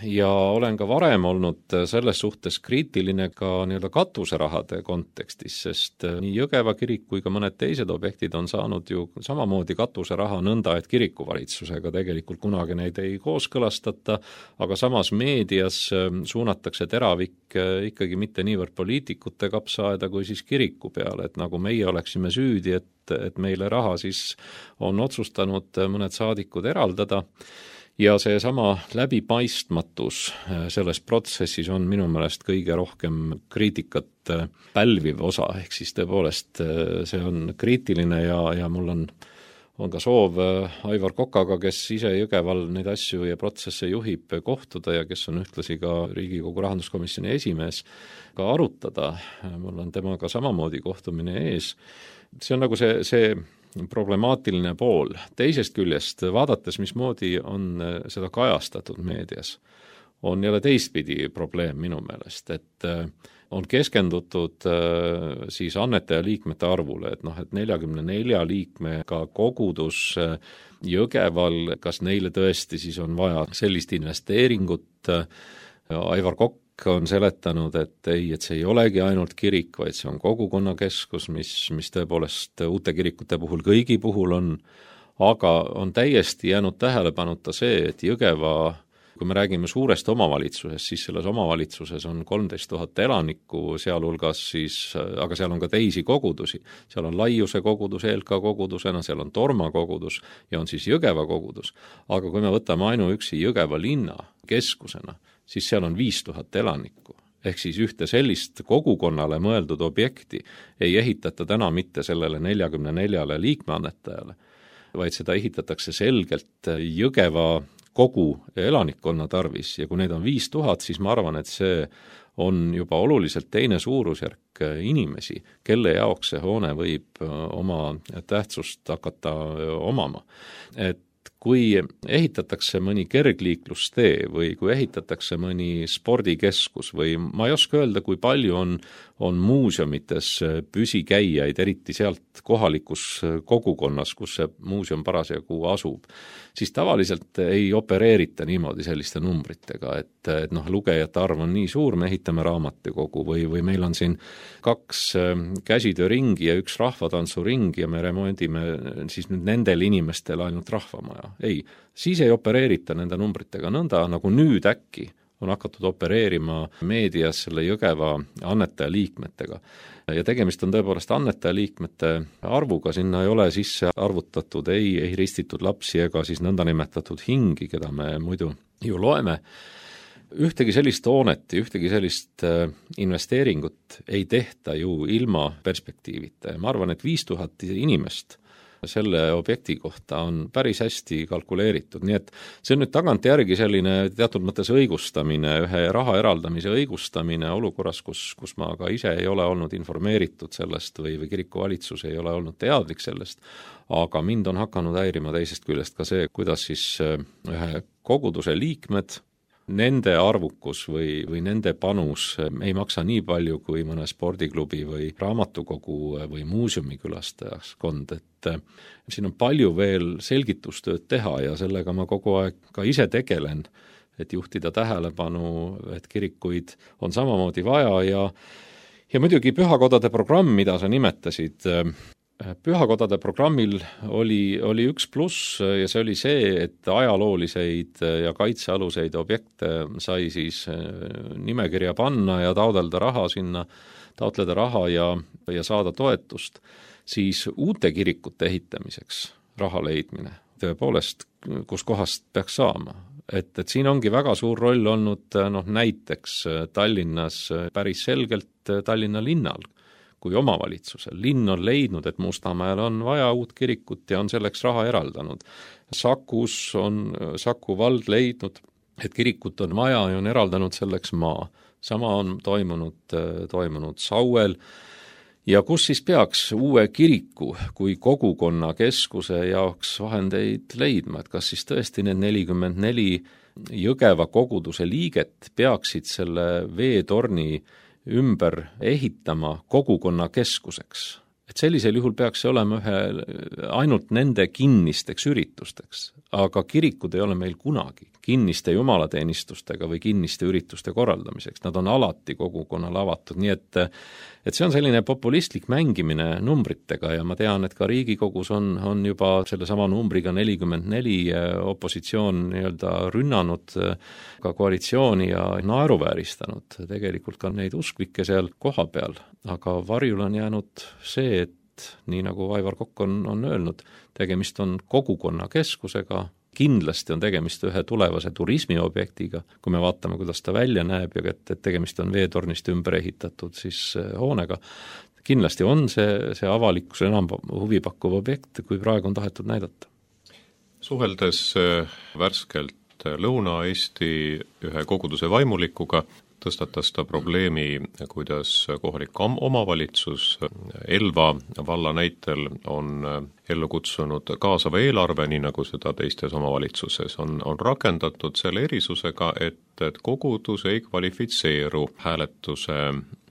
ja olen ka varem olnud selles suhtes kriitiline ka nii-öelda katuserahade kontekstis, sest nii Jõgeva kirik kui ka mõned teised objektid on saanud ju samamoodi katuseraha nõnda, et kirikuvalitsusega tegelikult kunagi neid ei kooskõlastata, aga samas meedias suunatakse teravik ikkagi mitte niivõrd poliitikute kapsaaeda kui siis kiriku peale, et nagu meie oleksime süüdi, et meile raha siis on otsustanud mõned saadikud eraldada. Ja see sama läbipaistmatus selles protsessis on minu meelest kõige rohkem kriitikat pälviv osa, ehk siis tõepoolest see on kriitiline ja mul on ka soov Aivar Kokaga, kes ise Jõgeval neid asju ja protsesse juhib, kohtuda ja kes on ühtlasi ka Riigikogu rahanduskomisjoni esimees, ka arutada. Mul on temaga samamoodi kohtumine ees. See on nagu see problemaatiline pool. Teisest küljest, vaadates, mismoodi on seda kajastatud meedias, on jälle teistpidi probleem minu meelest, et on keskendutud siis annetaja liikmete arvule, et 44 liikmega kogudus Jõgeval, kas neile tõesti siis on vaja sellist investeeringut. Aivar Kokk on seletanud, et see ei olegi ainult kirik, vaid see on kogukonnakeskus, mis tõepoolest uute kirikute puhul kõigi puhul on, aga on täiesti jäänud tähelepanuta see, et Jõgeva, kui me räägime suurest omavalitsusest, siis selles omavalitsuses on 13 000 elanikku, sealhulgas siis, aga seal on ka teisi kogudusi. Seal on Laiuse kogudus, ELK kogudusena, seal on Torma kogudus ja on siis Jõgeva kogudus. Aga kui me võtame ainuüksi Jõgeva linna keskusena, siis seal on 5000 elanikku. Ehk siis ühte sellist kogukonnale mõeldud objekti ei ehitata täna mitte sellele 44 liikmeannetajale, vaid seda ehitatakse selgelt Jõgeva kogu elanikkonna tarvis ja kui neid on 5000, siis ma arvan, et see on juba oluliselt teine suurusjärk inimesi, kelle jaoks see hoone võib oma tähtsust hakata omama. Et kui ehitatakse mõni kergliiklustee või kui ehitatakse mõni spordikeskus või ma ei oska öelda, kui palju on muuseumites püsikäijaid, eriti sealt kohalikus kogukonnas, kus see muuseum parasjagu asub, siis tavaliselt ei opereerita niimoodi selliste numbritega, et lugejate arv on nii suur, me ehitame raamatukogu või meil on siin 2 käsitööringi ja 1 rahvatantsuring ja me remondime siis nüüd nendel inimestel ainult rahvamaja. Ei, siis ei opereerita nende numbritega nõnda, nagu nüüd äkki on hakatud opereerima meedias selle Jõgeva annetaja liikmetega. Ja tegemist on tõepoolest annetaja liikmete arvuga, sinna ei ole sisse arvutatud, ei ristitud lapsi ega siis nõndanimetatud hingi, keda me muidu ju loeme. Ühtegi sellist hoonet ja ühtegi sellist investeeringut ei tehta ju ilma perspektiivita. Ma arvan, et 5000 inimest selle objekti kohta on päris hästi kalkuleeritud, nii et see on nüüd tagantjärgi selline teatud mõttes õigustamine, ühe raha eraldamise õigustamine olukorras, kus ma ka ise ei ole olnud informeeritud sellest või kirikuvalitsus ei ole olnud teadlik sellest, aga mind on hakanud häirima teisest küljest ka see, kuidas siis ühe koguduse liikmed, nende arvukus või nende panus ei maksa nii palju kui mõne spordiklubi või raamatukogu või muuseumi külastajaskond, et siin on palju veel selgitustööd teha ja sellega ma kogu aeg ka ise tegelen, et juhtida tähelepanu, et kirikuid on samamoodi vaja ja muidugi pühakodade programm, mida sa nimetasid, pühakodade programmil oli üks pluss ja see oli see, et ajalooliseid ja kaitsealuseid objekte sai siis nimekirja panna ja taodelda raha sinna taotleda raha ja saada toetust, siis uute kirikute ehitamiseks raha leidmine tõepoolest, kus kohast peaks saama. Et siin ongi väga suur roll olnud näiteks Tallinnas päris selgelt Tallinna linnal kui omavalitsusel. Linn on leidnud, et Mustamäel on vaja uut kirikut ja on selleks raha eraldanud. Sakus on Saku vald leidnud, et kirikut on vaja ja on eraldanud selleks maa. Sama on toimunud Sauel. Ja kus siis peaks uue kiriku kui kogukonna keskuse jaoks vahendeid leidma, et kas siis tõesti need 44 Jõgeva koguduse liiget peaksid selle veetorni ümber ehitama kogukonna keskuseks. Et sellisel juhul peaks see olema ainult nende kinnisteks üritusteks, aga kirikud ei ole meil kunagi kinniste jumalateenistustega või kinniste ürituste korraldamiseks. Nad on alati kogukonnale avatud, nii et see on selline populistlik mängimine numbritega ja ma tean, et ka Riigikogus on juba sellesama numbriga 44 opositsioon rünnanud ka koalitsiooni ja naeruvääristanud tegelikult ka neid usklikke seal koha peal, aga varjul on jäänud see, et nii nagu Aivar Kokk on öelnud, tegemist on kogukonna keskusega, kindlasti on tegemist ühe tulevase turismiobjektiga, kui me vaatame, kuidas ta välja näeb ja et tegemist on veetornist ümber ehitatud siis hoonega. Kindlasti on see avalikkuse enam huvipakkuv objekt, kui praegu on tahetud näidata. Suheldes värskelt Lõuna-Eesti ühe koguduse vaimulikuga, tõstatas ta probleemi, kuidas kohalik omavalitsus Elva valla näitel on ellu kutsunud kaasava eelarve, nii nagu seda teistes omavalitsuses on rakendatud selle erisusega, et kogudus ei kvalifitseeru hääletuse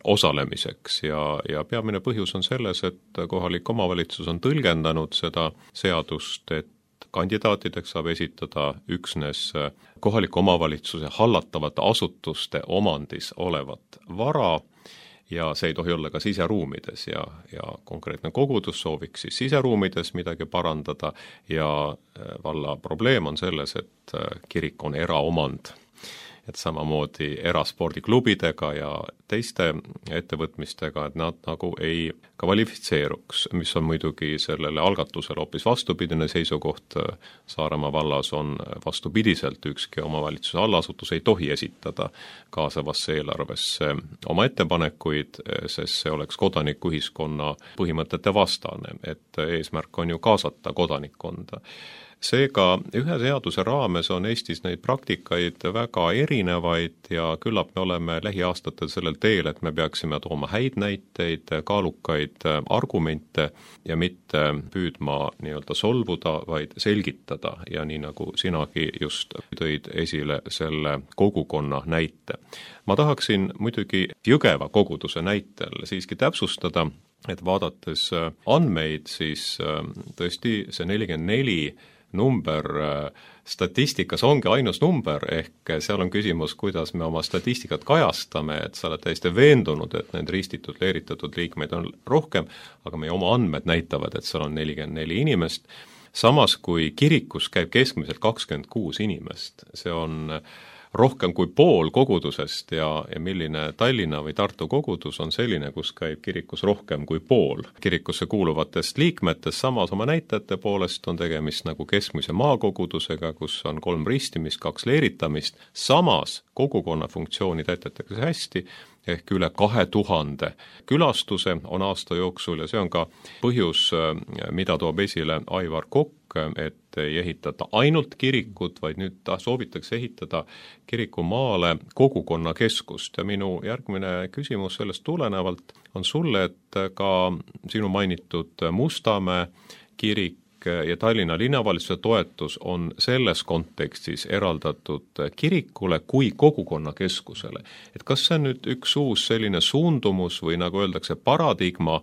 osalemiseks ja peamine põhjus on selles, et kohalik omavalitsus on tõlgendanud seda seadust, et kandidaatideks saab esitada üksnes kohaliku omavalitsuse hallatavate asutuste omandis olevat vara ja see ei tohi olla ka siseruumides ja konkreetne kogudus sooviks siis siseruumides midagi parandada ja valla probleem on selles, et kirik on eraomand. Et samamoodi eraspordiklubidega ja teiste ettevõtmistega, et nad nagu ei kvalifitseeruks, mis on muidugi sellele algatusele hoopis vastupidine seisukoht. Saaremaa vallas on vastupidiselt ükski omavalitsuse allasutus ei tohi esitada kaasavasse eelarvesse oma ettepanekuid, sest see oleks kodanikuühiskonna põhimõtete vastane, et eesmärk on ju kaasata kodanikkonda. Seega ühe seaduse raames on Eestis neid praktikaid väga erinevaid ja küllap me oleme lähiaastatel sellel teel, et me peaksime tooma häid näiteid, kaalukaid argumente ja mitte püüdma solvuda, vaid selgitada ja nii nagu sinagi just tõid esile selle kogukonna näite. Ma tahaksin muidugi Jõgeva koguduse näitel siiski täpsustada, et vaadates andmeid, siis tõesti see 44 number statistikas ongi ainus number, ehk seal on küsimus, kuidas me oma statistikat kajastame, et sa oled täiesti veendunud, et need ristitud, leeritatud liikmeid on rohkem, aga meie oma andmed näitavad, et seal on 44 inimest. Samas kui kirikus käib keskmiselt 26 inimest, see on rohkem kui pool kogudusest ja milline Tallinna või Tartu kogudus on selline, kus käib kirikus rohkem kui pool kirikusse kuuluvatest liikmetest, samas oma näitajate poolest on tegemist nagu keskmise maakogudusega, kus on 3 ristimist, 2 leeritamist, samas kogukonna funktsiooni täidetakse hästi, ehk üle 2000 külastuse on aasta jooksul ja see on ka põhjus, mida toob esile Aivar Kokk, et ei ehitata ainult kirikut, vaid nüüd soovitakse ehitada kirikumaale kogukonnakeskust ja minu järgmine küsimus sellest tulenevalt on sulle, et ka sinu mainitud Mustamäe kirik ja Tallinna linnavalitsuse toetus on selles kontekstis eraldatud kirikule kui kogukonnakeskusele. Et kas see on nüüd üks uus selline suundumus või nagu öeldakse paradigma,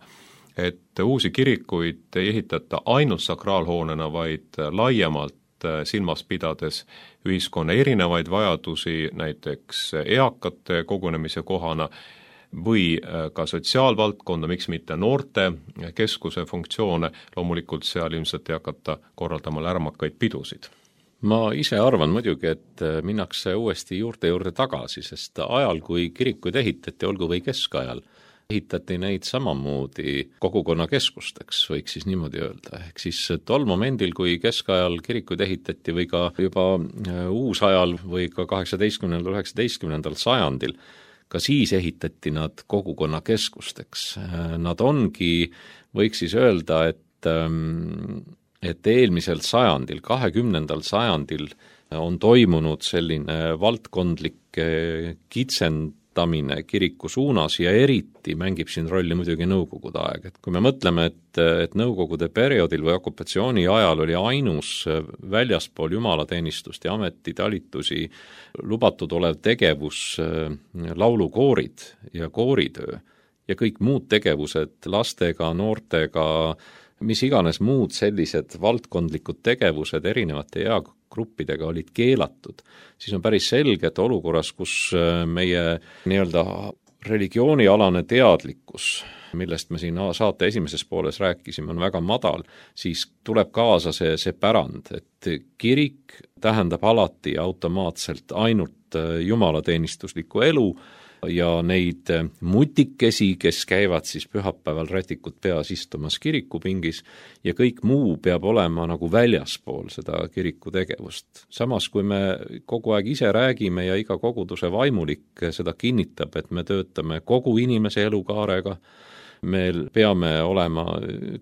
et uusi kirikuid ei ehitata ainult sakraalhoonena, vaid laiemalt silmas pidades ühiskonna erinevaid vajadusi, näiteks eakate kogunemise kohana, või ka sotsiaalvaldkonda, miks mitte noorte keskuse funktsioone, loomulikult seal ilmselt ei hakata korraldama lärmakaid pidusid. Ma ise arvan muidugi, et minnakse uuesti juurde tagasi, sest ajal, kui kirikuid ehitati, olgu või keskajal, ehitati neid samamoodi kogukonnakeskusteks, võiks siis niimoodi öelda. Ehk siis tol momendil, kui keskajal kirikuid ehitati või ka juba uusajal või ka 18–19 sajandil, ka siis ehitati nad kogukonnakeskusteks. Nad ongi, võiks siis öelda, et eelmisel sajandil, 20. sajandil on toimunud selline valdkondlik kitsendamine kiriku suunas ja eriti mängib siin rolli muidugi nõukogude aeg. Et kui me mõtleme, et nõukogude perioodil või okupatsiooni ajal oli ainus väljaspool jumalateenistust ja ametitalitusi lubatud olev tegevus laulukoorid ja kooritöö ja kõik muud tegevused lastega, noortega, mis iganes muud sellised valdkondlikud tegevused erinevate eagruppidega olid keelatud, siis on päris selge, et olukorras, kus meie nii-öelda religioonialane teadlikkus, millest me siin saate esimeses pooles rääkisime, on väga madal, siis tuleb kaasa see pärand, et kirik tähendab alati automaatselt ainult jumalateenistuslikku elu, ja neid mutikesi, kes käivad siis pühapäeval rätikut peas istumas kirikupingis ja kõik muu peab olema nagu väljaspool seda kiriku tegevust. Samas, kui me kogu aeg ise räägime ja iga koguduse vaimulik seda kinnitab, et me töötame kogu inimese elukaarega, me peame olema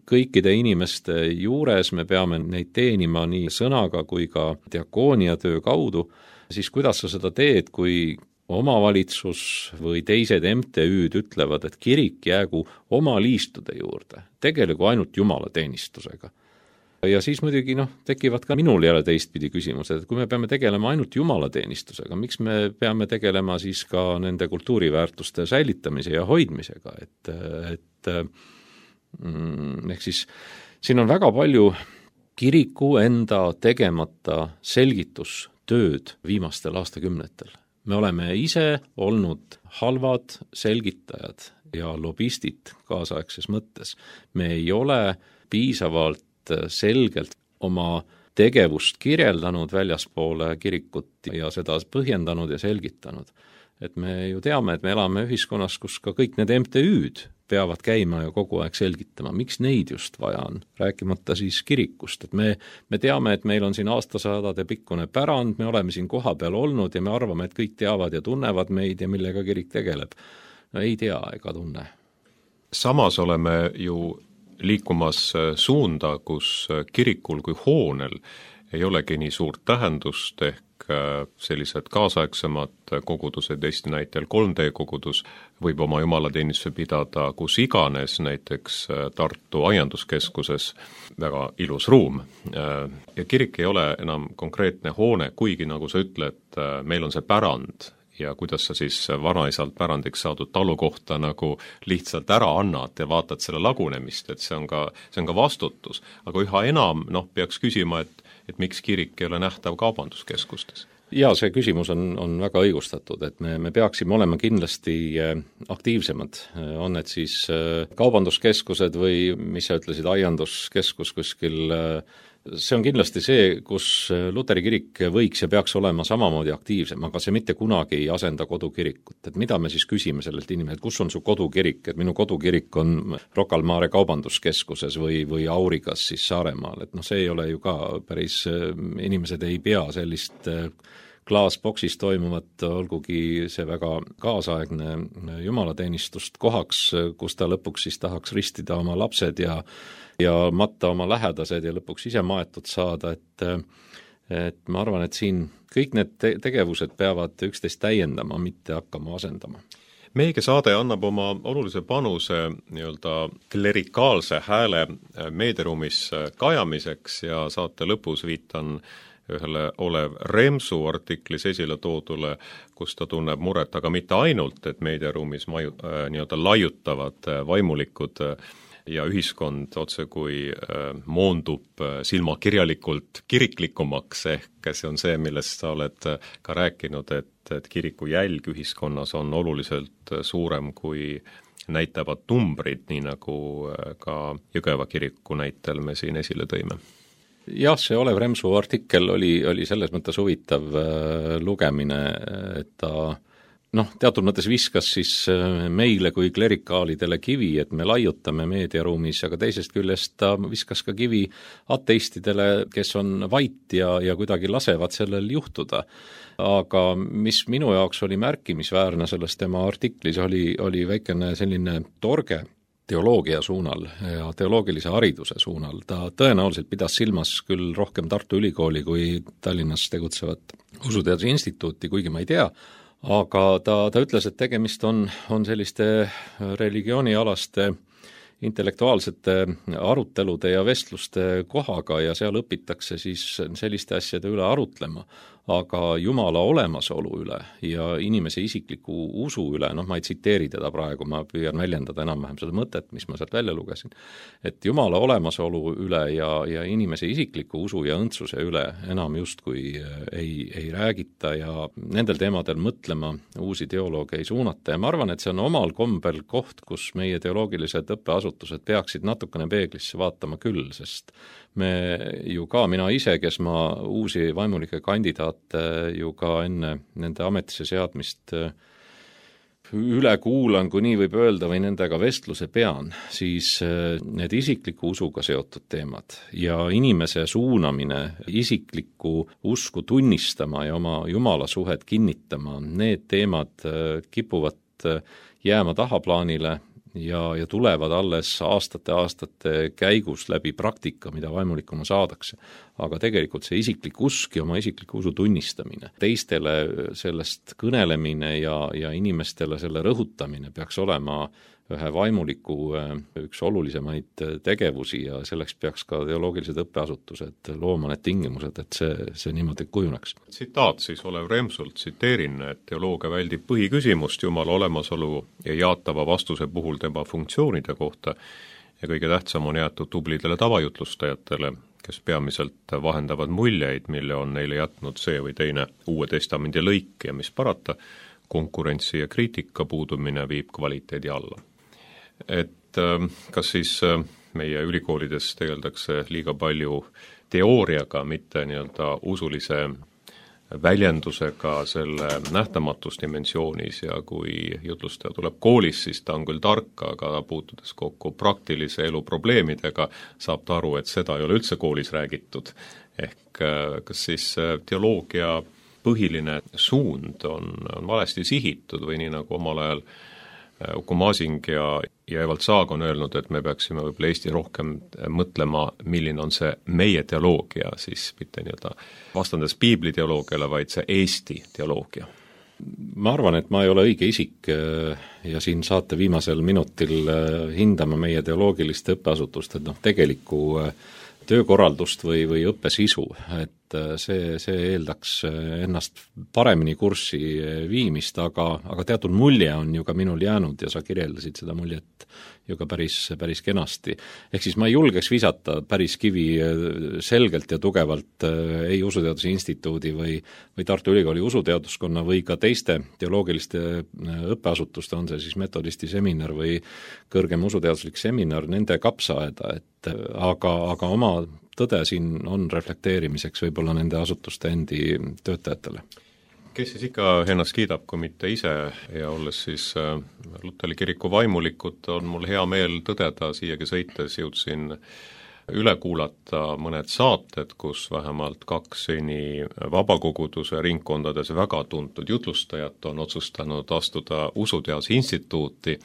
kõikide inimeste juures, me peame neid teenima nii sõnaga kui ka diakoonia töö kaudu, siis kuidas sa seda teed, kui omavalitsus või teised MTÜ-d ütlevad, et kirik jäägu oma liistude juurde, tegelegu ainult jumalateenistusega. Ja siis muidugi tekivad ka minul jälle teistpidi küsimused, et kui me peame tegelema ainult jumalateenistusega, miks me peame tegelema siis ka nende kultuuriväärtuste säilitamise ja hoidmisega, ehk siis siin on väga palju kiriku enda tegemata selgitustööd viimastel aastakümnetel. Me oleme ise olnud halvad selgitajad ja lobistid kaasaegses mõttes. Me ei ole piisavalt selgelt oma tegevust kirjeldanud väljaspoole kirikut ja seda põhjendanud ja selgitanud. Et me ju teame, et me elame ühiskonnas, kus ka kõik need MTÜ-d peavad käima ja kogu aeg selgitama, miks neid just vaja on, rääkimata siis kirikust. Et me teame, et meil on siin aastasadade pikkune pärand, me oleme siin koha peal olnud ja me arvame, et kõik teavad ja tunnevad meid ja millega kirik tegeleb. No ei tea ega tunne. Samas oleme ju liikumas suunda, kus kirikul kui hoonel ei olegi nii suurt tähendust, ehk sellised kaasaegsemad kogudused, Eesti näitel 3D-kogudus, võib oma jumalateenistuse pidada kus iganes, näiteks Tartu aianduskeskuses, väga ilus ruum. Ja kirik ei ole enam konkreetne hoone, kuigi nagu sa ütled, meil on see pärand ja kuidas sa siis vanaisalt pärandiks saadud talukohta nagu lihtsalt ära annad ja vaatad selle lagunemist, et see on ka vastutus. Aga üha enam peaks küsima, et miks kirik ei ole nähtav kaubanduskeskustes? Ja see küsimus on väga õigustatud, et me peaksime olema kindlasti aktiivsemad, on need siis kaubanduskeskused või mis sa ütlesid, aianduskeskus kuskil. See on kindlasti see, kus Luteri kirik võiks ja peaks olema samamoodi aktiivsem, aga see mitte kunagi ei asenda kodukirikut. Et mida me siis küsime sellelt inimeselt, kus on su kodukirik, et minu kodukirik on Rocca al Mare kaubanduskeskuses või Aurigas siis Saaremaal, et see ei ole ju ka päris, inimesed ei pea sellist klaasboksis toimuvat, olgugi see väga kaasaegne jumalateenistust kohaks, kus ta lõpuks siis tahaks ristida oma lapsed ja matta oma lähedased ja lõpuks ise maetud saada, et ma arvan, et siin kõik need tegevused peavad üksteist täiendama, mitte hakkama asendama. Meiegi saade annab oma olulise panuse nii-öelda klerikaalse hääle meediaruumis kajamiseks ja saate lõpus viitan ühele Olev Remsu artiklis esile toodule, kus ta tunneb muret, aga mitte ainult, et meediaruumis nii-öelda laiutavad vaimulikud ja ühiskond otse kui moondub silmakirjalikult kiriklikumaks, ehk see on see, millest sa oled ka rääkinud, et kiriku jälg ühiskonnas on oluliselt suurem kui näitavad numbrid, nii nagu ka Jõgeva kiriku näitel me siin esile tõime. Jah, see Olev Remsu artikkel oli selles mõttes huvitav lugemine, et ta teatud mõttes viskas siis meile kui klerikaalidele kivi, et me laiutame meediaruumis, aga teisest küljest ta viskas ka kivi ateistidele, kes on vait ja kuidagi lasevad sellel juhtuda. Aga mis minu jaoks oli märkimisväärne selles tema artiklis, oli väikene selline torge teoloogia suunal ja teoloogilise hariduse suunal. Ta tõenäoliselt pidas silmas küll rohkem Tartu Ülikooli kui Tallinnas tegutsevat Usuteaduse Instituuti, kuigi ma ei tea, aga ta ütles, et tegemist on selliste religioonialaste intellektuaalsete arutelude ja vestluste kohaga ja seal õpitakse siis selliste asjade üle arutlema, aga Jumala olemasolu üle ja inimese isikliku usu üle, ma ei tsiteeri teda praegu, ma püüan väljendada enam-vähem seda mõtet, mis ma sealt välja lugesin, et Jumala olemasolu üle ja inimese isikliku usu ja õndsuse üle enam justkui ei räägita ja nendel teemadel mõtlema uusi teolooge ei suunata ja ma arvan, et see on omal kombel koht, kus meie teoloogilised õppeasutused peaksid natukene peeglisse vaatama küll, sest me ju ka, mina ise, kes ma uusi vaimulikke kandidaate ju ka enne nende ametisse seadmist üle kuulan, kui nii võib öelda, või nendega vestluse pean, siis need isikliku usuga seotud teemad ja inimese suunamine isiklikku usku tunnistama ja oma Jumala suhet kinnitama, need teemad kipuvad jääma tahaplaanile ja tulevad alles aastate käigus läbi praktika, mida vaimulikuna saadakse. Aga tegelikult see isiklik usk ja oma isikliku usu tunnistamine, teistele sellest kõnelemine ja inimestele selle rõhutamine peaks olema ühe vaimuliku üks olulisemaid tegevusi ja selleks peaks ka teoloogilised õppeasutused looma need tingimused, et see niimoodi kujuneks. Tsitaat siis Olev Remsult, tsiteerin, et teoloogia väldib põhiküsimust Jumala olemasolu ja jaatava vastuse puhul tema funktsioonide kohta ja kõige tähtsam on jäetud tublidele tavajutlustajatele, kes peamiselt vahendavad muljeid, mille on neile jätnud see või teine Uue Testamendi lõik ja mis parata, konkurentsi ja kriitika puudumine viib kvaliteedi alla. Et kas siis meie ülikoolides tegeldakse liiga palju teooriaga, mitte nii-öelda usulise väljendusega selle nähtamatus dimensioonis ja kui jutlustaja tuleb koolis, siis ta on küll tark, aga puutudes kokku praktilise elu probleemidega, saab ta aru, et seda ei ole üldse koolis räägitud. Ehk kas siis teoloogia põhiline suund on valesti sihitud või nii nagu omal ajal Uku Masing ja Evald Saag on öelnud, et me peaksime võib-olla Eesti rohkem mõtlema, milline on see meie teoloogia, siis mitte nii-öelda vastandes piibli teoloogiale, vaid see Eesti teoloogia. Ma arvan, et ma ei ole õige isik ja siin saate viimasel minutil hindama meie teoloogiliste õppeasutust, et tegelikku töökorraldust või õppesisu, et see eeldaks ennast paremini kurssi viimist, aga teatud mulje on ju ka minul jäänud ja sa kirjeldasid seda muljet ju ka päris kenasti. Ehk siis ma ei julgeks visata päris kivi selgelt ja tugevalt ei Usuteaduse Instituudi või Tartu Ülikooli usuteaduskonna või ka teiste teoloogiliste õppeasutuste, on see siis metodisti seminar või kõrgem usuteaduslik seminar, nende kapsaaeda, et aga oma tõde siin on reflekteerimiseks võib-olla nende asutuste endi töötajatele. Kes siis ikka ennast kiidab, kui mitte ise ja olles siis Luteri kiriku vaimulikud, on mul hea meel tõdeda, siiagi sõites jõudsin üle kuulata mõned saated, kus vähemalt 2 seni vabakoguduse ringkondades väga tuntud jutlustajat on otsustanud astuda Usuteaduse Instituuti,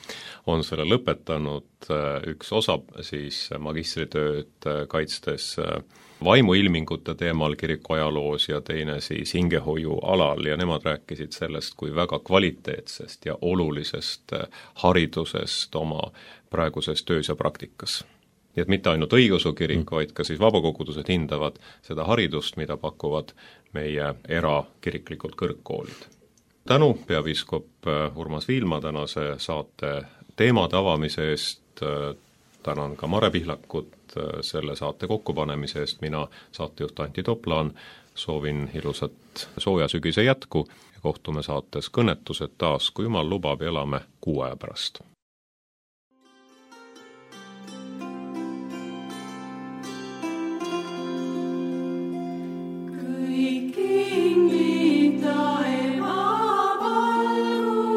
on selle lõpetanud üks osa siis magistritööd kaitstes vaimuilmingute teemal kiriku ajaloos ja teine siis hingehoiu alal ja nemad rääkisid sellest kui väga kvaliteetsest ja olulisest haridusest oma praeguses töös ja praktikas. Nii et mitte ainult õigeusu kirik, vaid ka siis vabakogudused hindavad seda haridust, mida pakuvad meie erakiriklikud kõrgkoolid. Tänu peapiiskop Urmas Viilma tänase saate teemade avamise eest, tänan ka Mare Pihlakut selle saate kokkupanemise eest, mina saatejuht Antti Toplaan soovin ilusat sooja sügise jätku ja kohtume saates Kõnetused taas, kui Jumal lubab, elame 6 aja pärast. Kõik ingid taeva valgu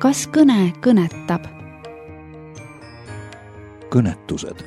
kas kõne kõnetab? kõnetused